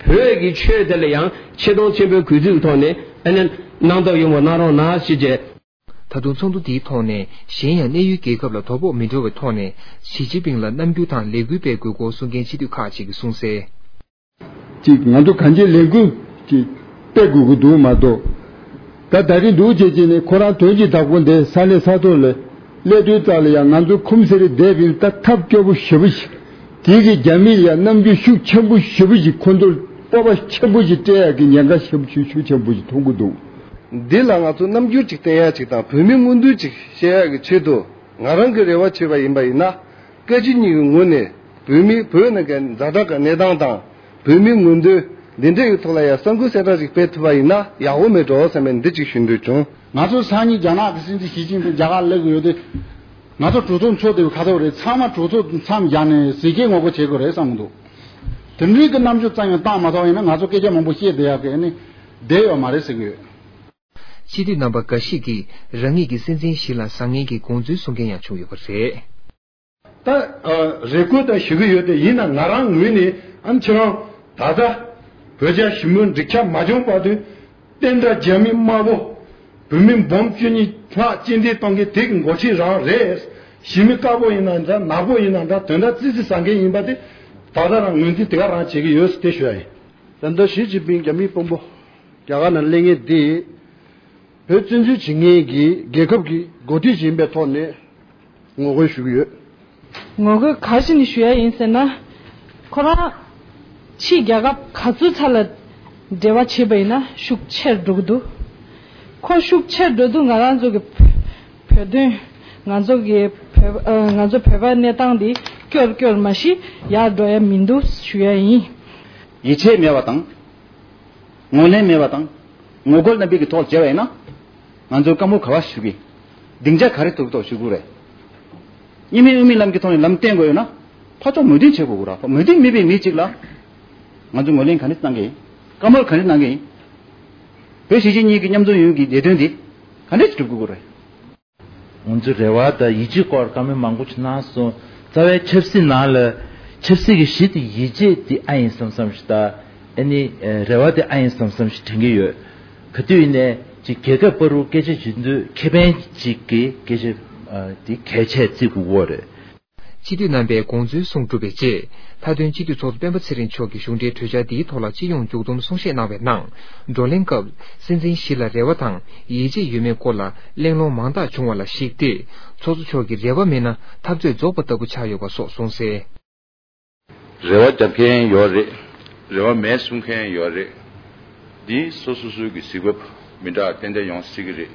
བོད་ཀྱི་ཆོས་དེ་ལ་ཡང་ཆེ་མཐོང་ཆེན་པོའི་གུས་བརྩི་གི་ཐོག་ནས་ཨ་ནི་གནང་ཐབས་ཡོང་བ་གནང་རོགས་གནང་ཞེས་བྱས། ད་དུང་ཚོགས་འདུ་འདིའི་ཐོག་ནས་གཞན་ཡང་གནས་ཡུལ་རྒྱལ་ཁབ་ལ་དོ་ཕོག་མི་འགྲོ་བའི་ཐོག་ནས་ཞི་ཅིན་ཕིང་ལ་རྣམ་འགྱུར་དང་ལས་འགུལ་སྤེལ་དགོས་སྐོར་གསུང་མཁན་སྤྱི་འཐུས་ཁག་ཅིག་གིས་གསུངས་གསལ། གཅིག་ང་ཚོ་གང་ཅིའི་ལས་འགུལ་ཅིག་སྤེལ་དགོས་ཀྱི་འདུག་མ་གཏོགས། ད་ད་རིང་འདུག་བྱེད་ཀྱི་ནི་ཁོ་རང་དོན་གྱི་བདག་པོ་འདི་ས་གནས་ས་ཐོག་ལ་སླེབས་དུས་ཙམ་ལ་ཡང་ང་ཚོ་ཁུམ་སེ་རི་བསྡད་པའི་ད་ཐབས་སྐྱོ་པོ་ཞེ་པོ་ཞིག་དེ་གི་རྒྱ་མིས་ཡང་རྣམ་འགྱུར་ཤུགས་ཆེན་པོ་ཞེ་པོ་ཞིག་ཁོ་ཚོར་སྤོབས་པ་ཆེན་པོ་ཞིག་སྤྲད་ཡག་གི་ཉེན་ཁ་ཞེ་པོ་ཞིག་ཤུགས་ཆེན་པོ་ཞིག་མཐོང་གི་འདུག་འདི་ལ་ང་ཚོ་རྣམ་འགྱུར་ཅིག་བསྟན་ཡག་ཅིག་དང་བོད་མིའི་མངོན་འདོད་ཅིག་བཤད་ཡག་གི་ཆེད་དུ་ང་རང་གི་རེ་བ་བྱས་པ་ཡིན་པ་ཡིན་ན། བཀའ་སྤྱི་གཉིས་ཀྱི་ངོས་ནས་བོད་མི་བོད་ནང་གི་ཛ་དྲག་གི་གནས་སྟངས་དང་བོད་མིའི་མངོན་འདོད་འདི་འདྲ་ཡི་ཐོག་ལ་ཡང་གསར་འགོད་གསལ་བསྒྲགས་ཤིག་སྤེལ་ཐུབ་པ་ཡིན་ན་ཡག་པོ་མེད་འགྲོ་བསམ་པའི་འདི་གཅིག་ཞུ་འདོད་བྱུང་། ང་ཚོ་སང་ཉིན་རྒྱ་ནག་གི་སྲིད་འཛིན་ཞི་ཅིན་ཕིང་རྒྱ་གར་སླེབས་ཀྱི་ཡོད་དུས། ང་ཚོ་གྲོས་ཚོགས་འཚོགས་བསྡད་པའི་ཁ་ཐོག་རེད། ཚང་མ་གྲོས་ཚོགས་མཚམས་བཞག་ནས་ཟས་སྐྱེལ་ངོ་རྒོལ་བྱེད་དགོས་རེད་བསམ་གྱི་འདུག་དེ་འདྲའི་གི་རྣམ་འགྱུར་ཙམ་ཡང་བཏང་མ་ཐུབ་པ་ཡིན་ན་ང་ཚོ་སྐད་ཆ་མང་པོ་བཤད་བསྡད་ཡག་གི་ཨ་ནི་བསྡད་ཡོད་མ་རེད་ཟེར་གྱི་ཡོད། སྤྱི་འཐུས་རྣམ་པ་འགའ་ཞིག་གིས་རང་ཉིད་ཀྱི་སྲིད་འཛིན་ཞིག་ལ་བཟང་ངན་གྱི་དགོངས་ཚུལ་གསུང་མཁན་ཡང་བྱུང་ཡོད་པ་རེད། ད་རེ་སྐུལ་དང་ཞུ་གི་ཡོད་དེ་ཡིན་ན་ང་རང་ངོས་ནས་ཨ་ནི་ཁྱེད་རང་ད་ལྟ་བོད་རྒྱ་ཞི་མོལ་འགྲིག་ཆ་མ་བྱུང་བར་དུ་བསྟན་དགྲ་རྒྱ་མི་དམར་པོ་བོད་མི་འབུམ་བཅུ་གཉིས་ལྷག་རྐྱེན་འདས་གཏོང་མཁན་དེ་གི་འགོ་ཁྲིད་རང་རེད། ཞི་མི་དཀར་པོ་ཡིན་ན་འདྲ་ནག་པོ་ཡིན་ན་འདྲ་དོན་དག་ཙི་ཙི་ཟ་མཁན་ཡིན་པ་དེ་ད་ལྟ་རང་ངོས་འཛིན་དེ་ག་རང་བྱེད་ཀྱི་ཡོད་ཟེར་དེ་ཞུ་ཡ་ཡིན། ད་ལྟ་ཞི་ཅིན་ཕིང་རྒྱ་མིའི་དཔོན་པོ་རྒྱ་གར་ནང་སླེབས་མཁན་དེ་བོད་བཙན་འཛུལ་བྱེད་མཁན་གྱི་རྒྱལ་ཁབ་ཀྱི་འགོ་ཁྲིད་ཅིག་ཡིན་པའི་ཐོག་ནས་ངོ་རྒོལ་ཞུ་གི་ཡོད། ངོ་རྒོལ་ག་རེ་བྱས་ནས་ཞུ་ཡ་ཡིན་ཟེར་ན། ཁོ་རང་ཕྱིའི་རྒྱལ་ཁབ་ག་ཚོད་ཚ་ལ་འབྲེལ་བ་བྱས་པ་ཡིན་ན་ཤུགས་ཆེར་འགྲོ་གི་འདུག་ཁོ་ཤུགས་ཆེར་འགྲོ་དུས་ང་རང་ཚོ་གི་བོད་དོན། ང་ཚོ་གི་བོད་ཨ། ང་ཚོ་བོད་པའི་གནས་སྟངས་འདི་སྐྱོར་སྐྱོར་མ་གཞི་ཡར་འགྲོ་ཡ་མི་འདུག་ཞུ་ཡ་ཡིན། ཡིད་ཆེས་མེད་པ་དང་། ངོས་ལེན་མེད་པ་དང་། ངོ་རྒོལ་རྣམ་པའི་གི་ཐོག་བྱས་པ་ཡིན་ན། ང་ཚོས་བཀའ་མོལ་ག་བ་ཞུ་གི། སྡིངས་ཆ་ག་རེ་ཐོག་ཐོག་ཞུ་དགོས་རེད། གཉིས་སྨན་དབུ་མའི་ལམ་གྱི་ཐོག་ནས་ལམ་བསྟན་དགོས་ཡོད་ན། ཕར་ཕྱོགས་མོས་མཐུན་བྱེད་དགོས་ར། མོས་མཐུན་མེད་པའི་མི་གཅིག་ལ། ང་ཚོས་ངོས་ལེན་ག་འདྲ་གནང་གི་ཡིན། བཀའ་མོལ་ག་འདྲ་གནང་གི་ཡིན། བོད་གཞིས་བྱེས་གཉིས་ཀྱི་མཉམ་འཛོམས་ཡོང་གི་ལས་དོན་འདི་ག་འདྲ་ཞིག་སྒྲུབ་དགོས་རེད། ང་ཚོའི་རེ་བ་དང་ཡིད་ཆེས་སྐོར་བཀའ་མོལ་མང་པོ་ཞིག་གནང་སོང་། རྩ་བའི་ཆབ་སྲིད་ནང་ལ་ཆབ་སྲིད་ཀྱི་གཞི་དེ་ཡིད་ཆེས་དེ་ཨ་ཡིན་བསམ་བསམ་ཞིག་དང་། ཨ་ནི་རེ་བ་དེ་ཨ་ཡིན་བསམ་བསམ་ཞིག་དྲན་གྱི་ཡོད། ག་དུས་ཡིན་ནའི་ཅིག་རྒྱལ་ཁབ་བར་དུ་སྐད་ཆ་བྱེད་དུས་ཁེ་ཕན་ཅིག་གི་སྐད་ཆ་དེ་གལ་ཆེ་བརྩི་དགོས་ཀྱི་རེད། སྤྱི་འཐུས་རྣམ་པས་དགོངས་ཚུལ་གསུངས་གྲུབ་པའི་རྗེས། མཐའ་དོན་སྤྱི་འཐུས་ཚོགས་གཙོ་སྤེན་པ་ཚེ་རིང་མཆོག་གིས་གཞུང་འབྲེལ་གྲོས་འཆར་འདིའི་ཐོག་ལ་སྤྱི་ཡོངས་མཇུག་བསྡོམས་གསུང་བཤད་གནང་བའི་ནང་། བགྲོ་གླེང་སྐབས། སྲིད་འཛིན་ཞི་ལ་རེ་བ་དང་ཡིད་ཆེས་ཡོད་མེད་སྐོར་ལ་གླེང་སློང་མང་དག་བྱུང་བ་ལ་གཞིགས་ཏེ། ཚོགས་གཙོ་མཆོག་གིས་རེ་བ་མེད་ན་འཐབ་རྩོད་རྫོགས་པ་ལྟ་བུ་ཆགས་ཡོད་པ་སོགས་གསུངས་གསལ། རེ་བ་རྒྱབ་མཁན་ཡོད་རེད། རེ་བ་མེད་གསུང་མཁན་ཡོད་རེད། འདི་སོ་སོ་སོའི་གི་གཟིགས་བབ་མི་འདྲ་ཏན་ཏན་ཡོང་སྲིད་ཀྱི་རེད།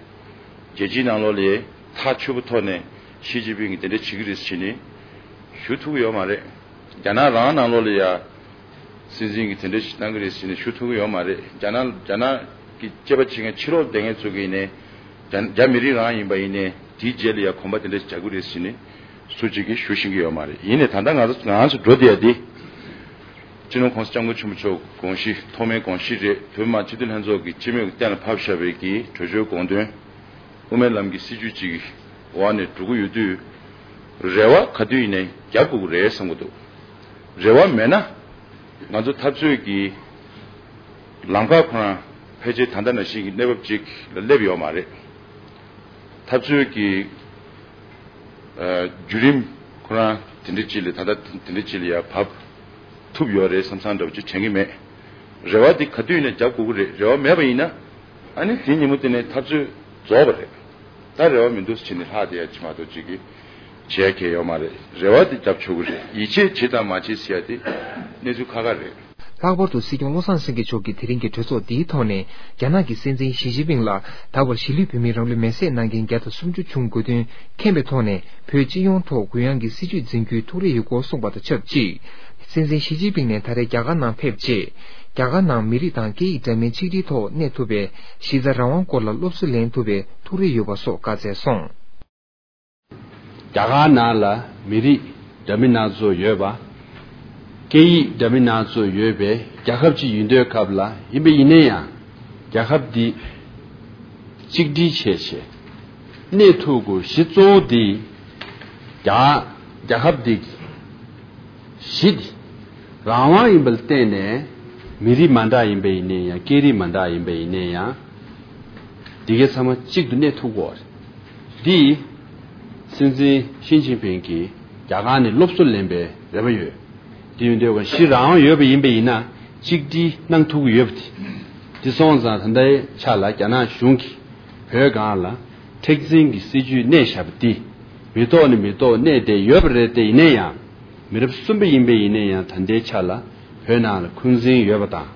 རྒྱལ་སྤྱིའི་ནང་ལོགས་ལ་ཐག་ཆོད་པོ་ཐོག་ནས་ཞི་ཅིན་ཕིང་གིས་དེ་འདྲ་བྱེད་ཀྱི་རེད་ཟེར་ནས་ཞུ་ཐུབ་ཀྱི་ཡོད་མ་རེད། རྒྱ་ནག་རང་ནང་ལོགས་ལ་ཡ་སྲིད་འཛིན་གྱིས་དེ་འདྲ་ཞིག་གནང་གི་རེད་ཟེར་ནས་ཞུ་ཐུབ་ཀྱི་ཡོད་མ་རེད། རྒྱ་ནག་རྒྱ་ནག་གི་དཔྱད་པ་བྱེད་མཁན་ཕྱི་ལོགས་བསྡད་མཁན་ཚོ་གིས་ནས་རྒྱ་རྒྱ་མི་རིགས་རང་ཡིན་པ་ཡིན་ནས་དེའི་རྗེས་ལ་ཡ་གོམ་པ་དེ་འདྲ་ཞིག་རྒྱག་གི་རེད་ཟེར་ནས་སུ་གཅིག་གིས་ཞུ་ཤེས་ཀྱི་ཡོད་མ་རེད། ཡིན་ནའི་ད་ལྟ་ང་ཚོ་ང་ཚོ་འགྲོ་བསྡད་ཡ་དེ། སྤྱི་ནོར་༸གོང་ས་༸སྐྱབས་མགོན་ཆེན་པོ་མཆོག་དགོངས་གཞི་ཐོག་མའི་དགོངས་གཞི་རེད། བོད་མི་མང་སྤྱི་འཐུས་ལྷན་ཚོགས་ཀྱི་སྤྱི་མོས་ཀྱི་གཏན་ལ་ཕབ་བཞག་པའི་གི་གྲོས་ཆོད་དགོངས་དོན། དབུ་མའི་ལམ་གྱི་སྲིད་བྱུས་ཅིག་འོག་ནས་འགྲོ་གི་ཡོད་དུས། རེ་བ་ག་དུས་ཡིན་ནའི་རྒྱབ་དགོས་ཀྱི་རེད་བསམ་གྱི་འདུག་རེ་བ་མེད་ན། ང་ཚོ་འཐབ་རྩོད་ཀྱི་ལམ་ཁ་ཁོ་རང་ཕལ་ཆེར་ད་ལྟ་ནང་བཞིན་གྱི་གནས་བབ་ཅིག་ལ་སླེབས་ཡོད་མ་རེད། འཐབ་རྩོད་ཀྱི་ཨ་བརྒྱུད་རིམ་ཁོ་རང་དེ་འདྲ་ཅིག་ལ་ད་ལྟ་དེ་འདྲ་ཅིག་ལ་ཡར་བབས་ཐུབ་ཡོད་རེད་བསམ་བསམ་འདྲ་བོ་ཅིག་དྲན་གྱི་མེད། རེ་བ་དེ་ག་དུས་ཡིན་ན་རྒྱབ་དགོས་ཀྱི་རེད། རེ་བ་མེད་པ་ཡིན་ན་ཨ་ནི་དེ་ཉིན་མོ་དེ་ནས་འཐབ་རྩོད་རྫོགས་པ་རེད། ད་རེ་བ་མི་འདུག་ཟེར་ནས་ལྷག་བསྡད་ཡ་ཅིག་མ་གཏོགས་ཅིག་གི་བྱེད་ཡ་གང་ཡང་ཡོད་མ་རེད། རེ་བ་དེ་རྒྱབ་ཆོག་གི་རེད། ཡིད་ཆེས་བྱེད་དང་མ་བྱེད་ཟེར་ཡ་དེ་གནས་ཚུལ་ཁག་ཁག་རེད། ལྷག་པར་དུ་སྲིད་སྐྱོང་བློ་བཟང་སེང་གེ་མཆོག་གིས་དེ་རིང་གི་གྲོས་ཚོགས་འདིའི་ཐོག་ནས་རྒྱ་ནག་གི་སྲིད་འཛིན་ཞི་ཅིན་ཕིང་ལ་ད་བར་གཞིས་ལུས་བོད་མིའི་རང་ལུས་མེར་སྲེག་གནང་མཁན་བརྒྱ་དང་སུམ་ཅུ་བྱུང་དགོས་དོན་མཁྱེན་པའི་ཐོག་ནས་བོད་སྤྱི་ཡོངས་ཐོག་གུ་ཡངས་ཀྱི་སྲིད་བྱུས་འཛིན་རྒྱུའི་ཐུགས་རེ་ཡོད་སྐོར་གསུངས་པ་དང་ཆབས་ཅིག་སྲིད་འཛིན་ཞི་ཅིན་ཕིང་ནས་ད་རེས་རྒྱ་གར་ནང་ཕེབས་རྗེས། རྒྱ་གར་ནང་མི་རིགས་དང་སྐད་ཡིག་འདྲ་མིན་ཆིག་སྒྲིལ་ཐོག་གནས་ཐུབ་པའི་གཞི་རྩ་རང་དབང་སྐོར་ལ་སློབ་གསོ་ལེན་ཐུབ་པའི་ཐུགས་རེ་ཡོད་པ་སོགས་བཀའ་སྩལ་སོང་། རྒྱ་གར་ནང་ལ་མི་རིགས་འདྲ་མིན་སྣ་ཚོགས་ཡོད་པ། སྐད་ཡིག་འདྲ་མིན་སྣ་ཚོགས་ཡོད་པའི་རྒྱལ་ཁབ་ཅིག་ཡིན་དུས་སྐབས་ལ་ཡིན་པ་ཡིན་ན་ཡང་རྒྱལ་ཁབ་འདི་གཅིག་སྒྲིལ་བྱས་བྱས་གནས་ཐུབ་དགོས། གཞི་གཙོ་བོ་འདི་རྒྱ་རྒྱལ་ཁབ་འདི་ བཞི་དེ། རང་དབང་ཡིན་པ་ལ་བརྟེན་ནས་མི་རིགས་མ་འདྲ་ཡིན་པ་ཡིན་ནའི་ཡང་། སྐད་རིགས་མ་འདྲ་ཡིན་པ་ཡིན་ནའི་ཡང་། འདི་གའི་ཚང་མ་གཅིག་ཏུ་གནས་ཐུབ་དགོས་རེད། འདི་སྲིད་འཛིན་ཞི་ཅིན་ཕིང་གིས་རྒྱ་གར་ནས་སློབ་གསོ་ལེན་པའི་རེ་བ་ཡོད། དེ་ཡིན་དུས་གང་ཞིག་རང་དབང་ཡོད་པ་ཡིན་པ་ཡིན་ན་གཅིག་སྒྲིལ་གནང་ཐུབ་ཀྱི་ཡོད་པ་དེ། དེ་སོང་ཙང་ད་ལྟའི་ཆ་ལ་རྒྱ་ནག་གཞུང་གིས་བོད་སྒང་ལ་མཁྲེགས་འཛིན་གྱི་སྲིད་བྱུས་གནས་བཞག་པ་འདི་མི་ཐོག་ནས་མི་ཐོག་གནས་བསྡད་ཡོད་པ་རེད། དེ་ཡིན་ན་ཡང་མི་རབས་གསུམ་པ་ཡིན་པ་ཡིན་ན་ཡང་ད་ལྟའི་ཆ་ལ་བོད་ནང་ལ་འཁོན་འཛིན་ཡོད་པ་དང་།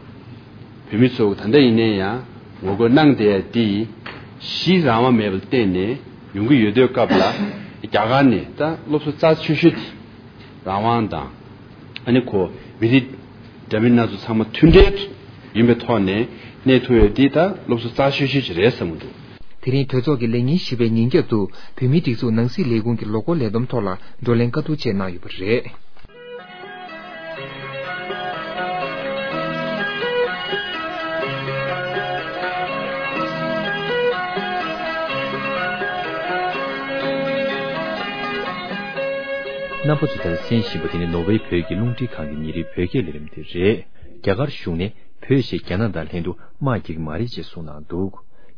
བོད་མི་ཚོ་ད་ལྟ་ཡིན་ན་ཡང་ངོ་རྒོལ་གནང་བསྡད་ཡ་འདི་གཞི་རང་དབང་མེད་པ་ལ་བརྟེན་ནས་ཡོང་གི་ཡོད་དུས་སྐབས་ལ་རྒྱ་གར་ནས་ད་སློབ་གསོ་རྩ་ཆེ་ཤོས་དེ། རང་དབང་དང་། ཨ་ནི་ཁོ་མི་རིགས་འདྲ་མིན་སྣ་ཚོགས་ཚང་མ་མཐུན་འབྲེལ་ཡིན་པའི་ཐོག་ནས་གནས་ཐུབ་ཡོད་འདི་ད་སློབ་གསོ་རྩ་ཆེ་ཤོས་ཅིག་རེད་བསམ་གྱི་འདུག། དེ་རིང་གྲོས་ཚོགས་ཀྱི་ལས་ཉིན་བཞི་པའི་ཉིན་རྒྱབ་ཏུ་བོད་མིའི་སྒྲིག་འཛུགས་ནང་སྲིད་ལས་ཁུངས་ཀྱི་ལོ་འཁོར་ལས་བསྡོམས་ཐོག་ལ་བགྲོ་གླེང་བཀའ་བསྡུར་བཅས་གནང་ཡོད་པ་རེད། རྣམ་པ་ཚོ་ད་ལྟ་གསན་བཞིན་པ་དེ་ནི་ནོར་ཝེ་བོད་ཀྱི་རླུང་འཕྲིན་ཁང་གི་ཉིན་རེའི་བོད་སྐད་ལས་རིམ་དེ་རེད། རྒྱ་གར་གཞུང་ནས་བོད་ཞེས་རྒྱ་ནག་དང་ལྷན་དུ་དམག་རྒྱག་གི་མ་རེད་ཅེས་གསུངས་གནང་འདུག།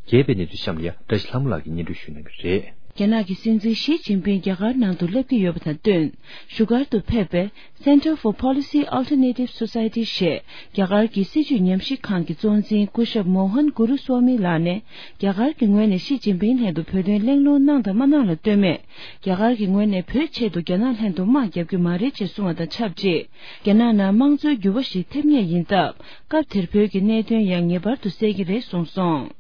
རྒྱས་པའི་གནས་ཚུལ་གཤམ་ལ་ཡ་བཀྲ་ཤིས་ལྷ་མོ་ལགས་ཀྱིས་སྙན་སྒྲོན་ཞུ་གནང་གི་རེད། རྒྱ་ནག་གི་སྲིད་འཛིན་ཞི་ཅིན་ཕིང་རྒྱ་གར་ནང་དུ་སླེབས་ཀྱི་ཡོད་པ་དང་བསྟུན། བཞུགས་སྒར་དུ་ཕེབས་པའི་Center for Policy Alternative Society ཞེས་རྒྱ་གར་གྱི་སྲིད་བྱུས་ཉམས་ཞིབ་ཁང་གི་གཙོ་འཛིན་སྐུ་ཞབས་མོ་ཧན་གུ་རུ་སྭ་མི་ལགས་ནས། རྒྱ་གར་གྱི་ངོས་ནས་ཞི་ཅིན་ཕིང་ལྷན་དུ་བོད་དོན་གླེང་སློང་གནང་དང་མ་གནང་ལ་ལྟོས་མེད། རྒྱ་གར་གྱི་ངོས་ནས་བོད་ཆེད་དུ་རྒྱ་ནག་ལྷན་དུ་དམག་རྒྱག་རྒྱུ་མ་རེད་ཅེས་གསུངས་པ་དང་ཆབས་ཅིག། རྒྱ་ནག་ནང་དམངས་གཙོའི་འགྱུར་བ་ཞིག་ཐེབས་ངེས་ཡིན་སྟབས། སྐབས་དེར་བོད་ཀྱི་གནད་དོན་ཡང་ངེས་པར་དུ་གསལ་གྱི་རེད་གསུངས་སོང་།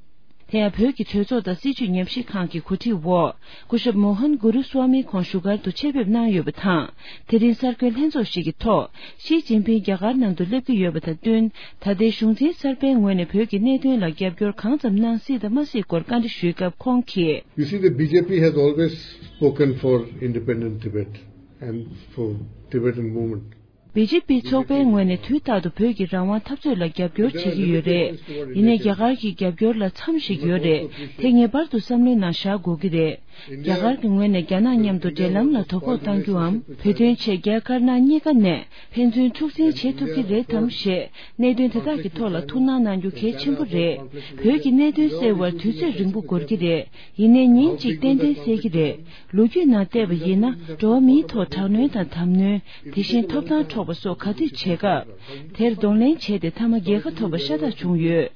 དེ་ཡང་བོད་ཀྱི་གྲོས་ཚོགས་དང་སྲིད་བྱུས་ཉམས་ཞིབ་ཁང་གི་གོ་སྒྲིག་འོག་སྐུ་ཞབས་མོ་ཧན་གུ་རུ་སྭ་མི་ཁོང་བཞུགས་སྒར་དུ་ཆེད་ཕེབས་གནང་ཡོད་པ་དང་། དེ་རིང་གསར་འགོད་ལྷན་ཚོགས་ཤིག་གི་ཐོག་ཞི་ཅིན་ཕིང་རྒྱ་གར་ནང་དུ་སླེབས་ཀྱི་ཡོད་པ་དང་བསྟུན། ད་ལྟའི་གཞུང་འཛིན་གསར་པའི་ངོས་ནས་བོད་ཀྱི་གནད་དོན་ལ་རྒྱབ་སྐྱོར་གང་ཙམ་གནང་སྲིད་དང་མ་སྲིད་སྐོར་བཀའ་འདྲི་ཞུས་སྐབས་ཁོང་གིས། You see, the B J P has always spoken for independent Tibet and for Tibetan movement. བི་ཇེ་པི་ཚོགས་པའི་ངོས་ནས་དུས་རྟག་ཏུ་བོད་ཀྱི་རང་དབང་འཐབ་རྩོད་ལ་རྒྱབ་སྐྱོར་བྱེད་ཀྱི་ཡོད་རེད། ཡིན་ནའི་རྒྱ་གར་གྱི་རྒྱབ་སྐྱོར་ལ་མཚམས་ཤིག་ཡོད་རེད། དེ་ངེས་པར་དུ་བསམ་བློའི་ནང་བཞག་དགོས་ཀྱི་རེད། རྒྱ་གར་གྱི་ངོས་ནས་རྒྱ་ནག་མཉམ་དུ་འབྲེལ་ལམ་ལ་དོ་ཕོག་གཏང་རྒྱུའམ། བོད་དོན་ཆེད་རྒྱ་དཀར་ནག་གཉིས་ཀ་ནས་ཕན་ཚུན་འཁྲུག་འཛིང་བྱེད་ཐུབ་ཀྱི་རེད་དམ་ཞེས་གནད་དོན་དེ་དག་གི་ཐོག་ལ་ཐུགས་སྣང་གནང་རྒྱུ་གལ་ཆེན་པོ་རེད། བོད་ཀྱི་གནད་དོན་སེལ་བར་དུས་ཚོད་རིང་པོ་འགོར་གྱི་རེད། ཡིན་ནའི་ཉིན་གཅིག་ཏན་ཏན་སེལ་གྱི་རེད། ལོ་རྒྱུས་ནང་བལྟས་པ་ཡིན་ན། འགྲོ་བ་མིའི་ཐོག་དྲག་གནོན་དང་དམ་གནོན། དེ་བཞིན་ཐོབ་ཐང་འཕྲོག་པ་སོགས་ག་དུས་བྱེད་སྐབས། དེར་གདོང་ལེན་བྱས་ཏེ་མཐའ་མ་རྒྱལ་ཁ་ཐོབ་པ་ཤ་སྟག་བྱུང་ཡོད།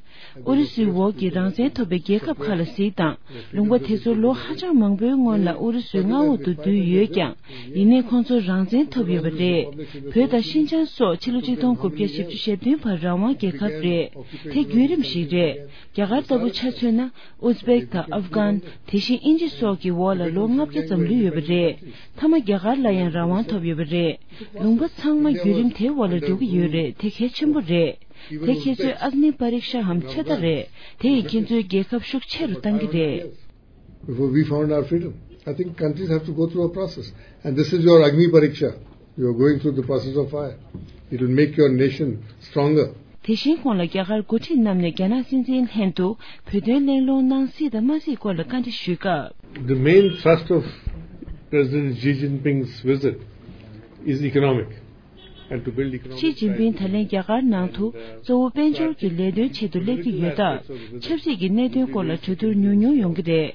ཨུ་རུ་སུའི་འོག་གི་རང་བཙན་ཐོབ་པའི་རྒྱལ་ཁབ་ཁག་ལ་གཟིགས་དང་། ལུང་པ་དེ་ཚོར་ལོ་ཧ་ཅང་མང་པོའི་སྔོན་ལ་ཨུ་རུ་སུའི་མངའ་འོག་ཏུ་བསྡུས་ཡོད་ཀྱང་། ཡིན་ནའི་ཁོང་ཚོར་རང་བཙན་ཐོབ་ཡོད་པ་རེད། བོད་དང་ཤིན་ཅང་སོགས་ཕྱི་ལོ་ཆིག་སྟོང་དགུ་བརྒྱ་བཞི་བཅུ་ཞེ་བདུན་བར་རང་དབང་རྒྱལ་ཁབ་རེད། དེ་བརྒྱུད་རིམ་ཞིག་རེད། རྒྱ་གར་ལྟ་བུ་ཆ་མཚོན་ན། ཨུ་ཛི་བེག་དང་ཨབ་གྷན། དེ་བཞིན་དབྱིན་ཇི་སོགས་ཀྱི་འོག་ལ་ལོ་ལྔ་བརྒྱ་ཙམ་ལུས་ཡོད་པ་རེད། མཐའ་མ་རྒྱ་གར་ལ་ཡང་རང་དབང་ཐོབ་ཡོད་པ་རེད། ལུང་པ་ཚང་མ་བརྒྱུད་རིམ་དེའི་འོག་ལ་འགྲོ་གི་ཡོད་རེད། དེ་གལ་ཆེན་པོ་རེད། དེ་ཁྱེད་ཚོས་ཨག་ནི་པ་རིག་ཤ་འམ་ཚོད་ལྟ་རེད། དེ་ཡིས་ཁྱེད་ཚོའི་རྒྱལ་ཁབ་ཤུགས་ཆེ་རུ་གཏང་གི་རེད། Before we found our freedom, I think countries have to go through a process. And this is your Agni Pariksha. You are going through the process of fire. It will make your nation stronger. དེ་བཞིན་ཁོང་ལ་རྒྱ་གར་འགོ་ཁྲིད་རྣམས་ནས་རྒྱ་ནག་སྲིད་འཛིན་ལྷན་དུ་བོད་དོན་གླེང་སློང་གནང་སྲིད་དང་མ་སྲིད་སྐོར་ལ་བཀའ་འདྲི་ཞུས་སྐབས། The main thrust of President Xi Jinping's visit is economic. And to build economic ཞི་ཅིན་ཕིང་ད་ལན་རྒྱ་གར་ནང་དུ་གཙོ་བོ་དཔལ་འབྱོར་གྱི་ལས་དོན་ཆེད་དུ་སླེབས་ཀྱི་ཡོད་སྟབས། ཆབ་སྲིད་ཀྱི་གནད་དོན་སྐོར་ལ་གྲོས་བསྡུར་ཉུང་ཉུང་ཡོང་གི་རེད།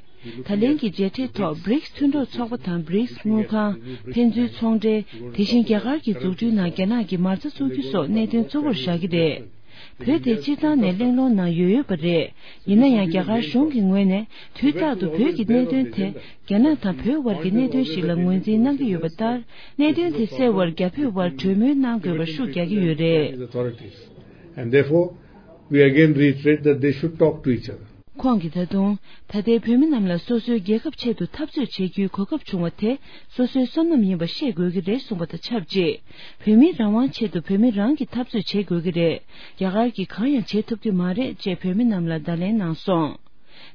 ད་ལན་གྱི་མཇལ་འཕྲད་ཐོག་བྷི་རིགས་མཐུན་གྲོགས་ཚོགས་པ་དང་བྷི་རིགས་དངུལ་ཁང་། ཕན་ཚུན་ཚོང་འབྲེལ། དེ་བཞིན་རྒྱ་གར་གྱི་འཛུགས་སྐྲུན་ནང་རྒྱ་ནག་གི་མ་རྩ་བཙུགས་རྒྱུ་སོགས་གནད་དོན་གཙོ་བོར་བཞག་གི་རེད། བོད་དེ་སྤྱིར་བཏང་ནས་གླེང་སློང་ནང་ཡོད་ཡོད་པ་རེད། ཡིན་ན་ཡང་རྒྱ་གར་གཞུང་གི་ངོས་ནས་དུས་རྟག་ཏུ་བོད་ཀྱི་གནད་དོན་དེ་རྒྱ་ནག་དང་བོད་དབར་གྱི་གནད་དོན་ཞིག་ལ་ངོས་འཛིན་གནང་གི་ཡོད་པ་ལྟར། གནད་དོན་དེ་སེལ་བར་རྒྱ་བོད་དབར་གྲོས་མོལ་གནང་དགོས་པར་ཤུགས་རྒྱག་གི་ཡོད་རེད། Authorities. And therefore, we again reiterate that they should talk to each other. ཁོང་གིས་ད་དུང་། ད་ལྟའི་བོད་མི་རྣམས་ལ་སོ་སོའི་རྒྱལ་ཁབ་ཆེད་དུ་འཐབ་རྩོད་བྱེད་རྒྱུའི་གོ་སྐབས་བྱུང་བ་དེ་སོ་སོའི་བསོད་ནམས་ཡིན་པ་ཤེས་དགོས་ཀྱི་རེད་གསུངས་པ་དང་ཆབས་ཅིག། བོད་མིའི་རང་དབང་ཆེད་དུ་བོད་མི་རང་གིས་འཐབ་རྩོད་བྱེད་དགོས་ཀྱི་རེད། རྒྱ་གར་གྱིས་གང་ཡང་བྱེད་ཐུབ་ཀྱི་མ་རེད་ཅེས་བོད་མི་རྣམས་ལ་བརྡ་ལན་གནང་སོང་།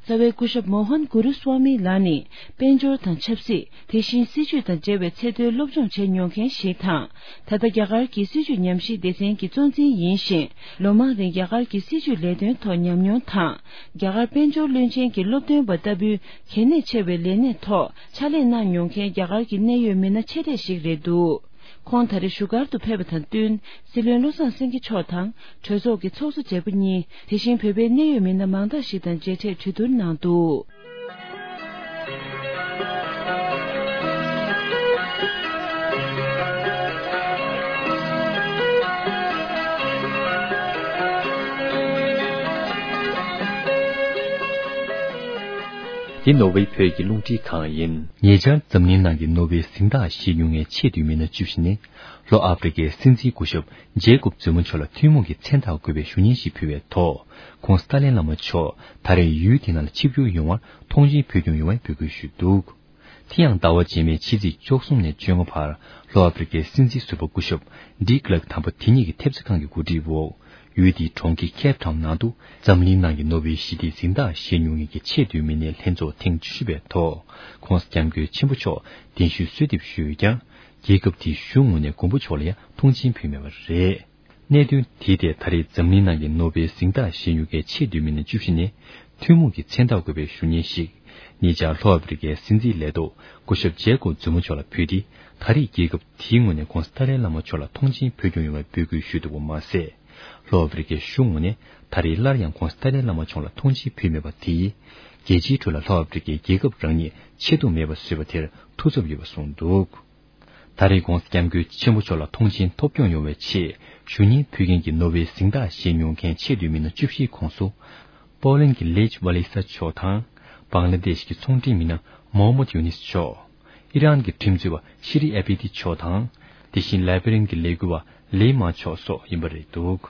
རྩ་བའི་སྐུ་ཞབས་མོ་ཧན་གུ་རུ་སྭ་མི་ལགས་ནི་དཔལ་འབྱོར་དང་ཆབ་སྲིད། དེ་བཞིན་སྲིད་ཇུས་དང་འབྲེལ་བའི་ཚད་མཐོའི་སློབ་སྦྱོང་བྱས་མྱོང་མཁན་ཞིག་དང་། ད་ལྟ་རྒྱ་གར་གྱི་སྲིད་ཇུས་ཉམས་ཞིབ་སྡེ་ཚན་གྱི་གཙོ་འཛིན་ཡིན་ཞིང་། ལོ་མང་རིང་རྒྱ་གར་གྱི་སྲིད་ཇུས་ལས་དོན་ཐོག་ཉམས་མྱོང་དང་། རྒྱ་གར་དཔལ་འབྱོར་བློན་ཆེན་གྱི་སློབ་སྟོན་པ་ལྟ་བུའི་གལ་གནད་ཆེ་བའི་ལས་གནས་ཐོག་ཕྱག་ལས་གནང་མྱོང་མཁན་རྒྱ་གར་གྱི་གནད་ཡོད་མི་སྣ་ཆེ་གྲས་ཤིག་རེད་འདུག། ཁོང་ད་རེས་བཞུགས་སྒར་དུ་ཕེབས་པ་དང་བསྟུན། སྲིད་བློན་བློ་བཟང་སེང་གེ་མཆོག་དང་གྲོས་ཚོགས་ཀྱི་ཚོགས་གཙོ་བརྗེ་པོ་གཉིས། དེ་བཞིན་བོད་པའི་གནད་ཡོད་མི་སྣ་མང་དག་ཞིག་དང་མཇལ་འཕྲད་གྲོས་བསྡུར་གནང་འདུག་འདི་ནོར་ཝེ་བོད་ཀྱི་རླུང་འཕྲིན་ཁང་ཡིན། ཉེ་ཆར་འཛམ་གླིང་ནང་གི་ནོར་ཝེའི་གཟེངས་རྟགས་བཞེས་མྱོང་མཁན་ཆེས་མཐོའི་མི་སྣ་བཅུ་བཞི་ནས། ལྷོ་ཨ་ཕི་རི་ཀའི་སྲིད་འཛིན་སྐུ་ཞབས་ཇེ་ཀོབ་ཛུ་མ་མཆོག་ལ་ཐུན་མོང་གི་མཚན་རྟགས་འགོད་པའི་ཞུ་སྙན་ཞིག་ཕུལ་བའི་ཐོག་ཁོང་སི་ཏཱ་ལན་བླ་མ་མཆོག་ད་རེས་ཡུལ་དེ་ནང་ལ་ཆིབས་བསྒྱུར་ཡོང་བར་མཐོང་མཆན་ཕུལ་སྐྱོང་ཡོང་བའི་འབོད་སྐུལ་ཞུས་འདུག་དེ་ཡང་ཟླ་བ་རྗེས་མའི་ཕྱི་ཚེས་བཅུ་གསུམ་ནས་བཅོ་ལྔ་བར་ལྷོ་ཨ་ཕི་རི་ཀའི་སྲིད་འཛིན་ཟུར་པ་སྐུ་ཞབས་ཌི་ཀླག་དམ་པ་དེ་ཉིད་ཀྱི་ཐེབས་རྩ་ཁང་གི་གོ་སྒྲིག་འོག་ཡུལ་དེའི་གྲོང་ཁྱེར་ཁེབ་ཊའུན་ནང་དུ་འཛམ་གླིང་ནང་གི་ནོ་བེལ་ཞི་བདེའི་གཟེངས་རྟགས་བཞེས་མྱོང་མཁན་གྱི་ཆེས་མཐོའི་མི་སྣའི་ལྷན་ཚོགས་ཐེངས་བཅུ་བཞི་པའི་ཐོག་༧གོང་ས་༧སྐྱབས་མགོན་ཆེན་པོ་མཆོག་གདན་ཞུའི་གསོལ་འདེབས་ཞུས་ཡོད་ཀྱང་། རྒྱལ་ཁབ་དེའི་གཞུང་ངོས་ནས་མགོན་པོ་མཆོག་ལ་ཡང་མཐོང་མཆན་ཕུལ་མེད་པ་རེད། གནད་དོན་དེའི་ཐད་ད་རེས་འཛམ་གླིང་ནང་གི་ནོ་བེལ་གཟེངས་རྟགས་བཞེས་མྱོང་མཁན་ཆེས་མཐོའི་མི་སྣ་བཅུ་བཞི་ནས་ཐུན་མོང་གི་མཚན་རྟགས་འགོད་པའི་ཞུ་སྙན་ཞིག་ཉེ་ཆར་ལྷོ་ཨ་ཕི་རི་ཀའི་སྲིད་འཛིན་ལས་ཐོག་སྐུ་ཞབས་ཇེ་ཀོབ་ཛུ་མ་མཆོག་ལ་ཕུལ་ཏེ། ད་རེས་རྒྱལ་ཁབ་དེའི་ངོས་ནས་ཁོང་སི་ཏཱ་ལའི་བླ་མ་མཆོག་ལ་མཐོང་མཆན་ཕུལ་སྐྱོང་ཡོང་བའི་འབོད་སྐུལ་ཞུས་འདུག་པ་མ་ཟད། ལྷོ་ཨ་ཕི་རི་ཀའི་གཞུང་ངོས་ནས་ད་རེས་སླར་ཡང་ཁོང་སི་ཏཱ་ལའི་བླ་མ་མཆོག་ལ་མཐོང་མཆན་ཕུལ་མེད་པ་དེས། རྒྱལ་སྤྱིའི་ཁྲོད་ལ་ལྷོ་ཨ་ཕི་རི་ཀའི་རྒྱལ་ཁབ་རང་ཉིད་ཆེ་མཐོང་མེད་པ་བཟོས་པ་དེར་ཐུགས་འཚབ་ཡོད་པ་གསུངས་འདུག་ད་རེས་༧གོང་ས་༧སྐྱབས་མགོན་ཆེན་པོ་མཆོག་ལ་མཐོང་མཆན་ཐོབ་སྐྱོང་ཡོང་བའི་ཆེད་ཞུ་སྙན་ཕུལ་མཁན་གྱི་ནོ་བེལ་གཟེངས་རྟགས་བཞེས་མྱོང་མཁན་ཆེས་མཐོའི་མི་སྣ་བཅུ་བཞིའི་ཁོངས་སུ། པོ་ལན་གྱི་ལེཆ་ཝ་ལི་ས་མཆོག་དང་། བང་ལ་དེཤ་གི་ཚོང་འབྲེལ་མི་སྣ་མོ་ཧམ་མད་ཡུ་ནིས་མཆོག་ཨི་རན་གྱི་ཁྲིམས་རྩོད་པ་ཤི་རི་ཨེ་བྷི་ཏི་མཆོག་དང་། དེ་བཞིན་ལའི་བྷི་རན་གྱི་ལས་འགུལ་བ་ལེ་མ་མཆོག་སོགས་ཡིན་པ་རེད་འདུག་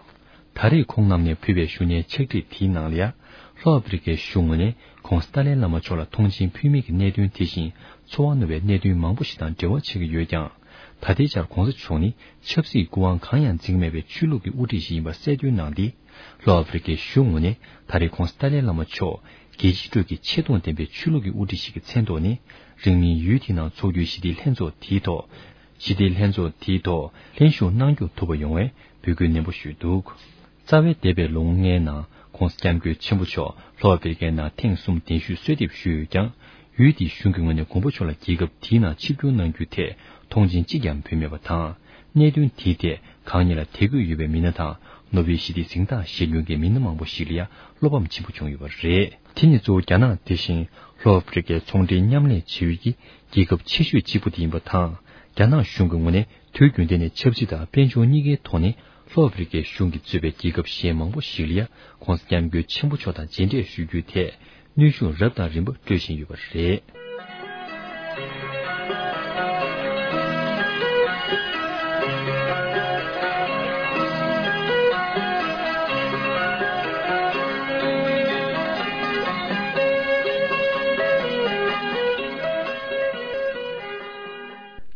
ད་རེས་ཁོང་རྣམས་ནས་ཕུལ་བའི་ཞུ་སྙན་ཕྱག་བྲིས་དེའི་ནང་ལ་ཡང་། ལྷོ་ཨ་ཕི་རི་ཀའི་གཞུང་ངོས་ནས་ཁོང་སི་ཏཱ་ལའི་བླ་མ་མཆོག་ལ་མཐོང་མཆན་ཕུལ་མིན་གྱི་གནད་དོན་དེ་བཞིན་ཚོར་བ་རྣོ་བའི་གནད་དོན་མང་པོ་ཞིག་དང་འབྲེལ་བ་ཆགས་ཀྱི་ཡོད་ཀྱང་། ད་ལྟའི་ཆར་༧གོང་ས་མཆོག་ནི་ཆབ་སྲིད་སྐུ་དབང་གང་ཡང་འཛིན་གྱི་མེད་པའི་ཆོས་ལུགས་ཀྱི་དབུ་ཁྲིད་ཞིག་ཡིན་པ་གསལ་སྟོན་གནང་སྟེ། ལྷོ་ཨ་ཕི་རི་ཀའི་གཞུང་ངོས་ནས་ད་རེས་ཁོང་སི་ཏཱ་ལའི་བླ་མ་མཆོག་རྒྱལ་སྤྱིའི་ཁྲོད་ཀྱི་ཆེ་མཐོང་ལྡན་པའི་ཆོས་ལུགས་ཀྱི་དབུ་ཁྲིད་ཞིག་གི་མཚན་ཐོག་ནས། རིང་མིན་ཡུལ་དེའི་ནང་འཚོགས་རྒྱུའི་ཞི་བདེའི་ལྷན་ཚོགས་དེའི་ཐོག་ཞི་བདེའི་ལྷན་ཚོགས་དེའི་ཐོག་ལྷན་ཞུགས་གནང་སྐྱོང་ཐུབ་པ་ཡོང་བའི་འབོད་སྐུལ་ནན་པོ་ཞུས་འདུག་རྩ་བའི་འདས་པའི་ལོ་ངོ་ལྔའི་ནང་༧གོང་ས་༧སྐྱབས་མགོན་ཆེན་པོ་མཆོག་ལྷོ་ཨ་ཕི་རི་ཀའི་ནང་ཐེངས་གསུམ་གདན་ཞུས་གསོལ་འདེབས་ཞུས་ཡོད་ཀྱང་། ཡུལ་དེའི་གཞུང་གི་ངོས་ནས་མགོན་པོ་མཆོག་ལ་རྒྱལ་ཁབ་དེའི་ནང་ཆིབས་བསྒྱུར་གནང་རྒྱུའི་ཐད་མཐོང་མཆན་གཅིག་ཀྱང་ཕུལ་མེད་པ་དང་། གནད་དོན་དེའི་ཐད་གང་ཉིད་ལ་དད་གུས་ཡོད་པའི་མི་སྣ་དང་ནོ་བེལ་ཞི་བདེའི་གཟེངས་རྟགས་བཞེས་མྱོང་མཁན་མི་སྣ་མང་པོ་ཞིག་ལ་ཡང་བློ་ཕམ་ཆེན་པོ་བྱུང་ཡོད་པ་རེད། དེ་ནི་གཙོ་བོ་རྒྱ་ནག་དེ་བཞིན་ལྷོ་ཨ་ཕི་རི་ཀའི་ཚོང་འབྲེལ་མཉམ་ལས་བྱེད་ཡུལ་གྱི་རྒྱལ་ཁབ་ཆེ་ཤོས་གཅིག་པུ་དེ་ཡིན་པ་དང་། རྒྱ་ནག་གཞུང་གི་ངོས་ནས་དུས་རྒྱུན་གཏན་ནས་ཆབ་སྲིད་དང་དཔལ་འབྱོར་གཉིས་ཀའི་ཐོག་ནས་ལྷོ་ཨ་ཕི་རི་ཀའི་གཞུང་གིས་གཙོས་པའི་རྒྱལ་ཁབ་གཞན་མང་པོ་ཞིག་ལ་ཡང་༧གོང་ས་༧སྐྱབས་མགོན་ཆེན་པོ་མཆོག་དང་མཇལ་འཕྲད་ཞུ་རྒྱུའི་ཐད། གནོན་ཤུགས་རབ་དང་རིམ་པ་སྤྲོད་བཞིན་ཡོད་པ་རེད།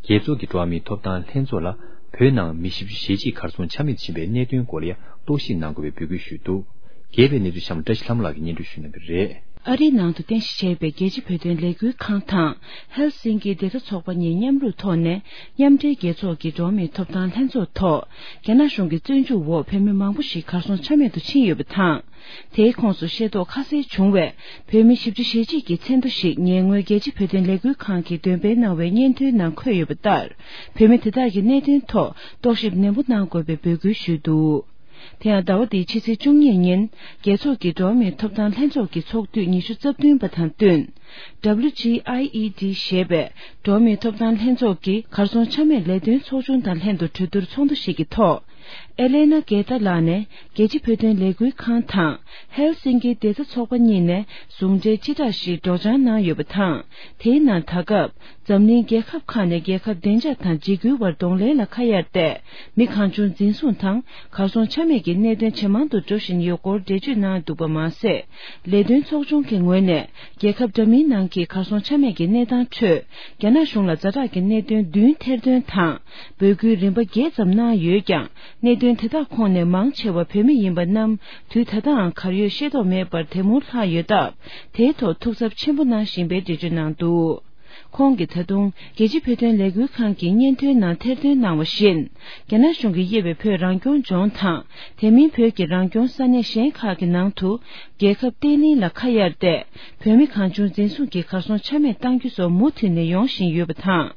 རྒྱལ་ཚོགས་ཀྱི་འགྲོ་བ་མིའི་ཐོབ་ཐང་ལྷན་ཚོགས་ལ་བོད་ནང་མི་བཞི་བཅུ་ཞེ་གཅིག་གར་སོང་ཆ་མེད་ཕྱིན་པའི་གནད་དོན་སྐོར་ལ་ཡང་རྟོག་ཞིབ་གནང་དགོས་པའི་འབོད་སྐུལ་ཞུས་འདུག་རྒྱས་པའི་གནས་ཚུལ་གཤམ་བཀྲ་ཤིས་ལྷ་མོ་ལགས་ཀྱིས་སྙན་སྒྲོན་ཞུ་གནང་གི་རེད། ཨ་རིའི་ནང་དུ་རྟེན་གཞི་བྱས་པའི་རྒྱལ་སྤྱི་བོད་དོན་ལས་འགུལ་ཁང་དང་ཧེལ་སིང་ཀི་བདེ་རྩ་ཚོགས་པ་གཉིས་མཉམ་རུབ་ཐོག་ནས་མཉམ་འབྲེལ་རྒྱལ་ཚོགས་ཀྱི་འགྲོ་བ་མིའི་ཐོབ་ཐང་ལྷན་ཚོགས་ཐོག་རྒྱ་ནག་གཞུང་གི་བཙོན་འཇུག་འོག་བོད་མི་མང་པོ་ཞིག་གར་སོང་ཆ་མེད་དུ་ཕྱིན་ཡོད་པ་དང་། དེའི་ཁོངས་སུ་ཤེས་རྟོགས་ཁ་གསལ་བྱུང་བའི་བོད་མི་བཞི་བཅུ་ཞེ་གཅིག་གི་མཚན་ཐོ་ཞིག་ཉེ་སྔོན་རྒྱལ་སྤྱི་བོད་དོན་ལས་འགུལ་ཁང་གིས་འདོན་སྤེལ་གནང་བའི་སྙན་ཐོའི་ནང་འཁོད་ཡོད་པ་ལྟར། བོད་མི་དེ་དག་གི་གནད་དོན་ཐོག་རྟོག་ཞིབ་ནན་པོ་གནང་དགོས་པའི་འབོད་སྐུལ་ཞུས་འདུག་དེ་ཡང་ཟླ་བ་འདིའི་ཕྱི་ཚེས་བཅུ་གཉིས་ཉིན་རྒྱལ་ཚོགས་ཀྱི་འགྲོ་བ་མིའི་ཐོབ་ཐང་ལྷན་ཚོགས་ཀྱི་ཚོགས་དུས་ཉི་ཤུ་རྩ་བདུན་པ་དང་བསྟུན། W G I E D ཞེས་པའི་འགྲོ་བ་མིའི་ཐོབ་ཐང་ལྷན་ཚོགས་ཀྱི་གར་སོང་ཆ་མེད་ལས་དོན་ཚོགས་ཆུང་དང་ལྷན་དུ་གྲོས་བསྡུར་ཚོགས་འདུ་ཞིག་གི་ཐོག་ཨེ་ལེ་ན་གེ་ཏཱ་ལགས་ནས་རྒྱལ་སྤྱི་བོད་དོན་ལས་འགུལ་ཁང་དང་ཧེལ་སིང་ཀི་བདེ་རྩ་ཚོགས་པ་གཉིས་ནས་ཟུང་འབྲེལ་སྤྱི་བསྒྲགས་ཤིག་སྒྲོག་སྦྱང་གནང་ཡོད་པ་དང་། དེའི་ནང་ད་སྐབས་འཛམ་གླིང་རྒྱལ་ཁབ་ཁག་ནས་རྒྱལ་ཁབ་བདེ་འཇགས་དང་འཇིགས་སྐུལ་བར་གདོང་ལེན་ལ་ཁ་གཡར་ཏེ། མི་གང་བྱུང་འཛིན་བཟུང་དང་གར་སོང་ཆ་མེད་ཀྱི་གནད་དོན་ཇེ་མང་དུ་འགྲོ་བཞིན་ཡོད་སྐོར་འགྲེལ་བརྗོད་གནང་འདུག་པ་མ་ཟད། ལས་དོན་ཚོགས་ཆུང་གི་ངོས་ནས་རྒྱལ་ཁབ་འདྲ་མིན་ནང་གི་གར་སོང་ཆ་མེད་ཀྱི་གནས་སྟངས་ཁྲོད་རྒྱ་ནག་གཞུང་ལ་ཛ་དྲག་གི་གནད་དོན་བདུན་ཐེར་འདོན་དང་འབོད་སྐུལ་རིམ་པ་བརྒྱད་ཙམ་གནང་ཡོད་ཀྱང་། གནད་དོན་དེ་དག་ཁོངས་ནས་མང་ཆེ་བ་བོད་མི་ཡིན་པ་རྣམས་དུས་ད་ལྟའང་གར་ཡོད་ཤེས་རྟོགས་མེད་པར་དེ་མུར་ལྷག་ཡོད་སྟབས། དེའི་ཐོག་ཐུགས་འཚབ་ཆེན་པོ་གནང་བཞིན་པའི་འགྲེལ་བརྗོད་གནང་འདུག་ཁོང་གིས་ད་དུང་རྒྱལ་སྤྱི་བོད་དོན་ལས་འགུལ་ཁང་གི་སྙན་ཐོའི་ནང་ཐེར་འདོན་གནང་བ་བཞིན། རྒྱ་ནག་གཞུང་གིས་དབྱེ་བའི་བོད་རང་སྐྱོང་ལྗོངས་དང་། དེ་མིན་བོད་ཀྱི་རང་སྐྱོང་ས་གནས་གཞན་ཁག་གི་ནང་དུ། རྒྱལ་ཁབ་བརྟན་ལྷིང་ལ་ཁ་གཡར་ཏེ། བོད་མི་གང་བྱུང་འཛིན་བཟུང་གིས་གར་སོང་ཆ་མེད་གཏང་རྒྱུ་སོགས་མུ་མཐུད་ནས་ཡོང་བཞིན་ཡོད་པ་དང་།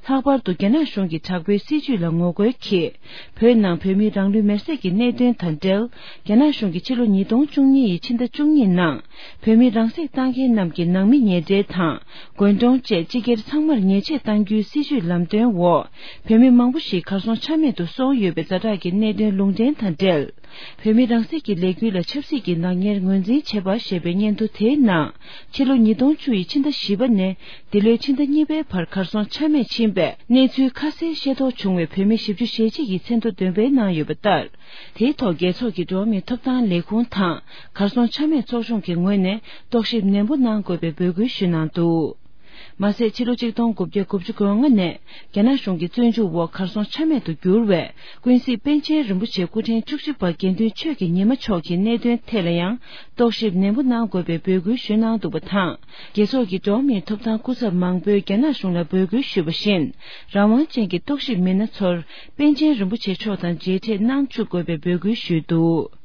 ལྷག་པར་དུ་རྒྱ་ནག་གཞུང་གི་དྲག་པོའི་སྲིད་བྱུས་ལ་ངོ་རྒོལ་གྱིས། བོད་ནང་བོད་མིའི་རང་ལུས་མེར་སྲེག་གི་གནད་དོན་དང་འབྲེལ། རྒྱ་ནག་གཞུང་གིས་ཕྱི་ལོ་ཉིས་སྟོང་བཅུ་གཉིས་ཡི་ཕྱི་ཟླ་བཅུ་གཉིས་ནང་། བོད་མི་རང་སྲེག་བཏང་མཁན་རྣམས་ཀྱི་ནང་མི་ཉེ་འབྲེལ་དང་། དགོན་གྲོང་བཅས་སྤྱི་སྒེར་ཚང་མར་ཉེས་ཆད་གཏང་རྒྱུའི་སྲིད་བྱུས་ལམ་སྟོན་འོག་བོད་མི་མང་པོ་ཞིག་གར་སོང་ཆ་མེད་དུ་སོང་ཡོད་པའི་ཛ་དྲག་གི་གནད་དོན་ལུང་འདྲེན་དང་འབྲེལ། བོད་མི་རང་སྲེག་གི་ལས་འགུལ་ལ་ཆབ་སྲིད་ཀྱི་ནག་ཉེས་ངོས་འཛིན་བྱེད་པ་ཞེས་པའི་སྙན་ཐོ་དེའི་ནང་། ཕྱི་ལོ་ཉིས་སྟོང་བཅུ་ཡི་ཕྱི་ཟླ་བཞི་པ་ནས་འདི་ལོའི་ཕྱི་ཟླ་གཉིས་པའི་བར་གར་སོང་ཆ་མེད་ཕྱིན་པའི་གནས་ཚུལ་ཁ་གསལ་ཤེས་རྟོགས་བྱུང་བའི་བོད་མི་བཞི་བཅུ་ཞེ་གཅིག་གི་མཚན་ཐོ་འདོན་སྤེལ་གནང་ཡོད་པ་ལྟར། དེའི་ཐོག་རྒྱལ་ཚོགས་ཀྱི་འགྲོ་བ་མིའི་ཐོབ་ཐང་ལས་ཁུངས་དང་གར་སོང་ཆ་མེད་ཚོགས་ཆུང་གི་ངོས་ནས་རྟོག་ཞིབ་ནན་པོ་གནང་དགོས་པའི་འབོད་སྐུལ་ཞུས་གནང་འདུག། མ་ཟད་ཕྱི་ལོ་ཆིག་སྟོང་དགུ་བརྒྱ་དགུ་བཅུ་གོ་ལྔ་ནས་རྒྱ་ནག་གཞུང་གི་བཙོན་འཇུག་འོག་གར་སོང་ཆ་མེད་དུ་གྱུར་བའི་ཀུན་གཟིགས་པཎ་ཆེན་རིན་པོ་ཆེ་སྐུ་ཕྲེང་བཅུ་གཅིག་པ་དགེ་འདུན་ཆོས་ཀྱི་ཉི་མ་མཆོག་གི་གནད་དོན་ཐད་ལ་ཡང་རྟོག་ཞིབ་ནན་པོ་གནང་དགོས་པའི་འབོད་སྐུལ་ཞུས་གནང་འདུག་པ་དང་། རྒྱལ་ཚོགས་ཀྱི་འགྲོ་བ་མིའི་ཐོབ་ཐང་སྐུ་ཚབ་མང་པོས་རྒྱ་ནག་གཞུང་ལ་འབོད་སྐུལ་ཞུས་པ་བཞིན། རང་དབང་ཅན་གྱི་རྟོག་ཞིབ་མི་སྣ་ཚོར་པཎ་ཆེན་རིན་པོ་ཆེ་མཆོག་དང་མཇལ་འཕྲད་གནང་བཅུག་དགོས་པའི་འབོད་སྐུལ་ཞུས་འདུག།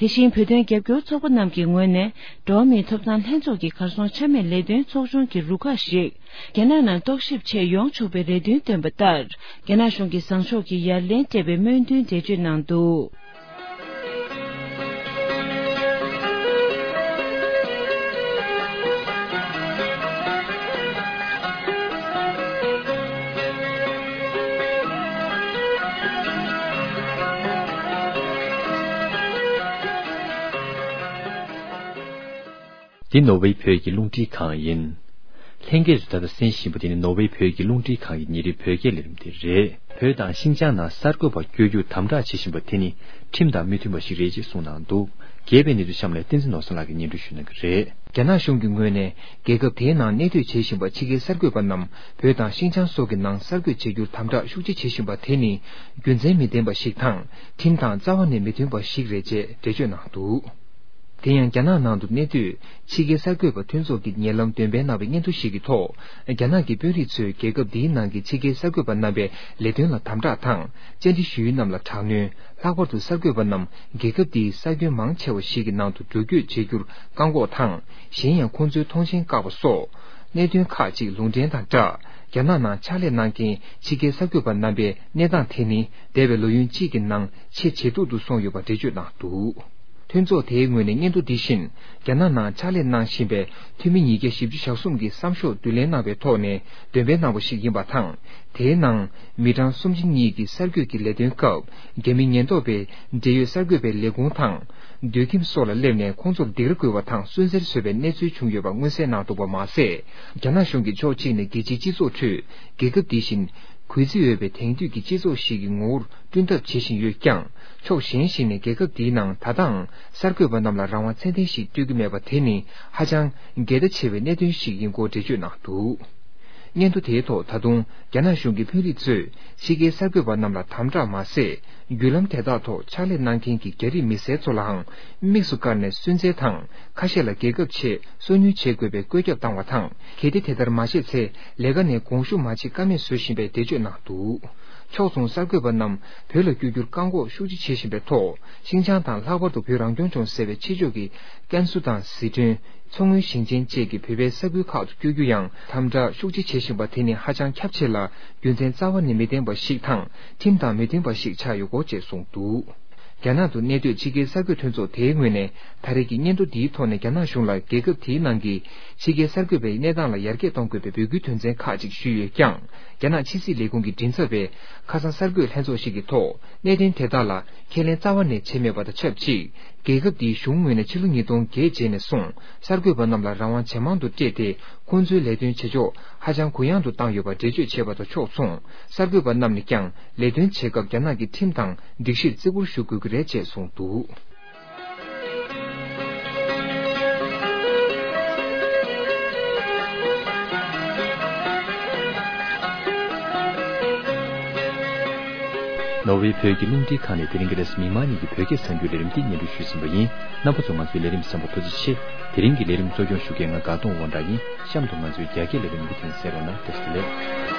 དེ་བཞིན་བོད་དོན་རྒྱབ་སྐྱོར་ཚོགས་པ་རྣམས་ཀྱི་ངོས་ནས་འགྲོ་བ་མིའི་ཐོབ་ཐང་ལྷན་ཚོགས་ཀྱི་གར་སོང་ཆ་མེད་ལས་དོན་ཚོགས་ཆུང་གི་རུ་ཁག་ཞིག་རྒྱ་ནག་ནང་རྟོག་ཞིབ་ཆེད་ཡོང་ཆོག་པའི་རེ་འདུན་བཏོན་པ་ལྟར། རྒྱ་ནག་གཞུང་གིས་བཟང་ཕྱོགས་ཀྱི་ཡ་ལན་སྤྲད་པའི་སྨོན་འདུན་འགྲེལ་བརྗོད་གནང་འདུག། འདི་ནོར་ཝེ་བོད་ཀྱི་རླུང་འཕྲིན་ཁང་ཡིན། ལྷན་རྒྱས་ཚོ་ད་ལྟ་གསན་བཞིན་པ་དེ་ནི་ནོར་ཝེ་བོད་ཀྱི་རླུང་འཕྲིན་ཁང་གི་ཉིན་རེའི་བོད་སྐད་ལས་རིམ་དེ་རེད། བོད་དང་ཤིན་ཅང་ནང་གསར་འགོད་པ་བསྐྱོད་རྒྱུར་དམ་དྲག་བྱེད་བཞིན་པ་དེ་ནི་ཁྲིམས་དང་མི་མཐུན་པ་ཞིག་རེད་ཅེས་གསུངས་གནང་འདུག། རྒྱས་པའི་གནས་ཚུལ་གཤམ་ལ་བསྟན་འཛིན་ནོར་བཟང་ལགས་ཀྱིས་སྙན་སྒྲོན་ཞུ་གནང་གི་རེད། རྒྱ་ནག་གཞུང་གི་ངོས་ནས་རྒྱལ་ཁབ་དེའི་ནང་གནས་སྡོད་བྱེད་བཞིན་པ་ཕྱི་རྒྱལ་གསར་འགོད་པ་རྣམས་བོད་དང་ཤིན་ཅང་སོགས་ཀྱི་ནང་གསར་འགོད་བྱེད་རྒྱུར་དམ་དྲག་ཤུགས་ཆེ་བྱེད་བཞིན་པ་དེ་ནི་རྒྱུ་མཚན་མི་ལྡན་པ་ཞིག་དང་ཁྲིམས་དང་རྩ་བ་ནས་མི་མཐུན་པ་ཞིག་རེད་ཅེས་འགྲེལ་བརྗོད་གནང་འདུག། དེ་ཡང་རྒྱ་ནག་ནང་དུ་གནས་སྡོད་ཕྱི་རྒྱལ་གསར་འགོད་པ་མཐུན་ཚོགས་ཀྱིས་ཉེ་ལམ་འདོན་སྤེལ་གནང་བའི་སྙན་ཐོ་ཞིག་གི་ཐོག་རྒྱ་ནག་གི་དཔོན་རིགས་ཚོས་རྒྱལ་ཁབ་འདིའི་ནང་གི་ཕྱི་རྒྱལ་གསར་འགོད་པ་རྣམ་པའི་ལས་དོན་ལ་དམ་དྲག་དང་བཅར་འདྲི་ཞུ་ཡུལ་རྣམས་ལ་དྲག་གནོན། ལྷག་པར་དུ་གསར་འགོད་པ་རྣམས་རྒྱལ་ཁབ་འདིའི་ས་ཁྱོན་མང་ཆེ་བ་ཞིག་གི་ནང་དུ་འགྲོ་སྐྱོད་བྱེད་རྒྱུར་བཀག་འགོག་དང་། གཞན་ཡང་ཁོང་ཚོའི་མཐོང་མཆན་བཀག་པ་སོགས་གནད་དོན་ཁག་ཅིག་ལུང་འདྲེན་དང་སྦྲགས། རྒྱ་ནག་ནང་ཕྱག་ལས་གནང་མཁན་ཕྱི་རྒྱལ་གསར་འགོད་པ་རྣམ་པའི་གནས་སྟངས་དེ་ནི་འདས་པའི་ལོ་ཡུན་གཅིག་གི་ནང་ཆེས་ཇེ་སྡུག་ཏུ་སོང་ཡོད་པ་འགྲེལ་བརྗོད་གནང་འདུག། མཐུན་ཚོགས་དེའི་ངོས་ནས་སྙན་ཐོ་འདི་བཞིན་རྒྱ་ནག་ནང་ཕྱག་ལས་གནང་བཞིན་པའི་འཐུས་མི་ཉིས་བརྒྱ་བཞི་བཅུ་ཞེ་གསུམ་གྱི་བསམ་ཤོག་བསྡུ་ལེན་གནང་བའི་ཐོག་ནས་འདོན་སྤེལ་གནང་བ་ཞིག་ཡིན་པ་དང་། དེའི་ནང་མི་གྲངས་སུམ་ཅུ་གཉིས་ཀྱི་གསར་འགོད་ཀྱི་ལས་དོན་སྐབས་རྒྱ་མི་ཉེན་རྟོག་པའི་འབྲེལ་ཡོད་གསར་འགོད་པའི་ལས་ཁུངས་དང་། སྡོད་ཁྱིམ་སོགས་ལ་སླེབས་ནས་ཁོང་ཚོར་སྡིགས་ར་བསྐུལ་བ་དང་སུན་གཙེར་བཟོས་པའི་གནས་ཚུལ་བྱུང་ཡོད་པ་མངོན་གསལ་གནང་འདུག་པ་མ་ཟད། རྒྱ་ནག་གཞུང་གིས་ཕྱོགས་གཅིག་ནས་རྒྱལ་སྤྱིའི་སྤྱི་ཚོགས་ཁྲོད་རྒྱལ་ཁབ་འདི་བཞིན་གུས་བརྩི་འོས་པའི་དེང་དུས་ཀྱི་སྤྱི་ཚོགས་ཤིག་གི་ངོ་བོར་བསྐྲུན་ཐབས་བྱེད་བཞིན་ཡོད་ཀྱང་། ཕྱོགས་གཞན་ཞིག་ནས་རྒྱལ་ཁབ་འདིའི་ནང་ད་ལྟའང་གསར་འགོད་པ་རྣམས་ལ་རང་དབང་ཚད་ལྡན་ཞིག་སྤྲོད་ཀྱི་མེད་པ་དེ་ནི་ཧ་ཅང་འགལ་ཟླ་ཆེ་བའི་གནད་དོན་ཞིག་ཡིན་སྐོར་འགྲེལ་བརྗོད་གནང་འདུག། སྙན་ཐོ་དེའི་ཐོག་ད་དུང་རྒྱ་ནག་གཞུང་གི་དཔོན་རིགས་ཚོས་ཕྱི་རྒྱལ་གསར་འགོད་པ་རྣམས་ལ་དམ་དྲག་མ་ཟད། བརྒྱུད་ལམ་དེ་དག་ཐོག་ཕྱག་ལས་གནང་མཁན་གྱི་རྒྱ་རིགས་མི་སེར་ཚོ་ལའང་དམིགས་སུ་བཀར་ནས་སུན་གཙེར་དང་། ཁ་ཤས་ལ་རྒྱལ་ཁབ་ཆེད་སོ་ཉུལ་བྱེད་དགོས་པའི་བཀོད་ཁྱབ་བཏང་བ་དང་། གལ་ཏེ་དེ་ལྟར་མ་བྱས་ཚེ་ལས་ཀ་ནས་དགོངས་ཞུ་མ་བྱེད་ཀ་མེད་བཟོ་བཞིན་པའི་འགྲེལ་བརྗོད་གནང་འདུག། ཕྱོགས་མཚུངས་གསར་འགོད་པ་རྣམས་བོད་ལ་བསྐྱོད་རྒྱུར་བཀག་འགོག་ཤུགས་ཆེ་བྱེད་བཞིན་པའི་ཐོག། ཤིན་ཅང་དང་ལྷག་པར་དུ་བོད་རང་སྐྱོང་ལྗོངས་ཟེར་བའི་ཕྱི་ཕྱོགས་ཀྱི་ཀན་སུའུ་དང་ཟི་ཁྲོན། མཚོ་སྔོན་ཞིང་ཆེན་བཅས་ཀྱི་བོད་པའི་ས་ཁུལ་ཁག་ཏུ་བསྐྱོད་རྒྱུ་ཡང་དམ་དྲག་ཤུགས་ཆེ་བྱེད་བཞིན་པ་དེ་ནི་ཧ་ཅང་ཁྱབ་ཆེ་ལ། རྒྱུ་མཚན་རྩ་བ་ནས་མི་ལྡན་པ་ཞིག་དང་ཁྲིམས་དང་མི་མཐུན་པ་ཞིག་ཆགས་ཡོད་སྐོར་བཅས་གསུངས་འདུག། རྒྱ་ནག་ཏུ་གནས་སྡོད་ཕྱི་རྒྱལ་གསར་འགོད་མཐུན་ཚོགས་དེའི་ངོས་ནས་ད་རེས་ཀྱི་སྙན་ཐོ་འདིའི་ཐོག་ནས་རྒྱ་ནག་གཞུང་ལ་རྒྱལ་ཁབ་དེའི་ནང་གི་ཕྱི་རྒྱལ་གསར་འགོད་པའི་གནས་སྟངས་ལ་ཡར་རྒྱས་གཏོང་དགོས་པའི་འབོད་སྐུལ་དོན་ཚན་ཁག་ཅིག་ཞུས་ཡོད་ཀྱང་། རྒྱ་ནག་ཕྱི་སྲིད་ལས་ཁུངས་ཀྱི་མགྲིན་ཚབ་པས་ཁ་སང་གསར་འགོད་ལྷན་ཚོགས་ཤིག་གི་ཐོག་གནད་དོན་དེ་དག་ལ་ཁས་ལེན་རྩ་བ་ནས་བྱས་མེད་པ་དང་ཆབས་ཅིག། རྒྱལ་ཁབ་འདིའི་གཞུང་ངོས་ནས་ཕྱི་ལོ་ཉིས་སྟོང་བརྒྱད་རྗེས་ནས་བཟུང་གསར་འགོད་པ་རྣམས་ལ་རང་དབང་ཇེ་མང་དུ་སྤྲད་དེ། ཁོང་ཚོའི་ལས་དོན་བྱེད་ཕྱོགས་ཧ་ཅང་གུ་ཡངས་དུ་བཏང་ཡོད་པ་འགྲེལ་བརྗོད་བྱས་པ་དང་ཕྱོགས་མཚུངས། གསར་འགོད་པ་རྣམས་ནས་ཀྱང་ལས་དོན་བྱེད་སྐབས་རྒྱ་ནག་གི་ཁྲིམས་དང་སྒྲིག་གཞིར་བརྩི་བཀུར་ཞུ་དགོས་ཀྱི་རེད་ཅེས་གསུངས་འདུག། ནོར་ཝེ་བོད་ཀྱི་རླུང་འཕྲིན་ཁང་ནས་དེ་རིང་གི་རེས་མིག་དམར་ཉིན་གྱི་བོད་སྐད་གསར་འགྱུར་ལས་རིམ་འདི་སྙན་སྒྲོན་ཞུས་ཟིན་པ་ཡིན། རྣམ་པ་ཚོ་ང་ཚོའི་ལས་རིམ་གསན་པར་ཐུགས་རྗེ་ཆེ། དེ་རིང་གི་ལས་རིམ་གཙོ་སྐྱོང་ཞུ་མཁན་ང་དགའ་གདོང་དབང་གྲགས་ཡིན། གཤམ་དུ་ང་ཚོའི་རྒྱ་སྐད་ལས་རིམ་མུ་མཐུད་གསན་རོགས་གནང་། བཀྲ་ཤིས་བདེ་ལེགས།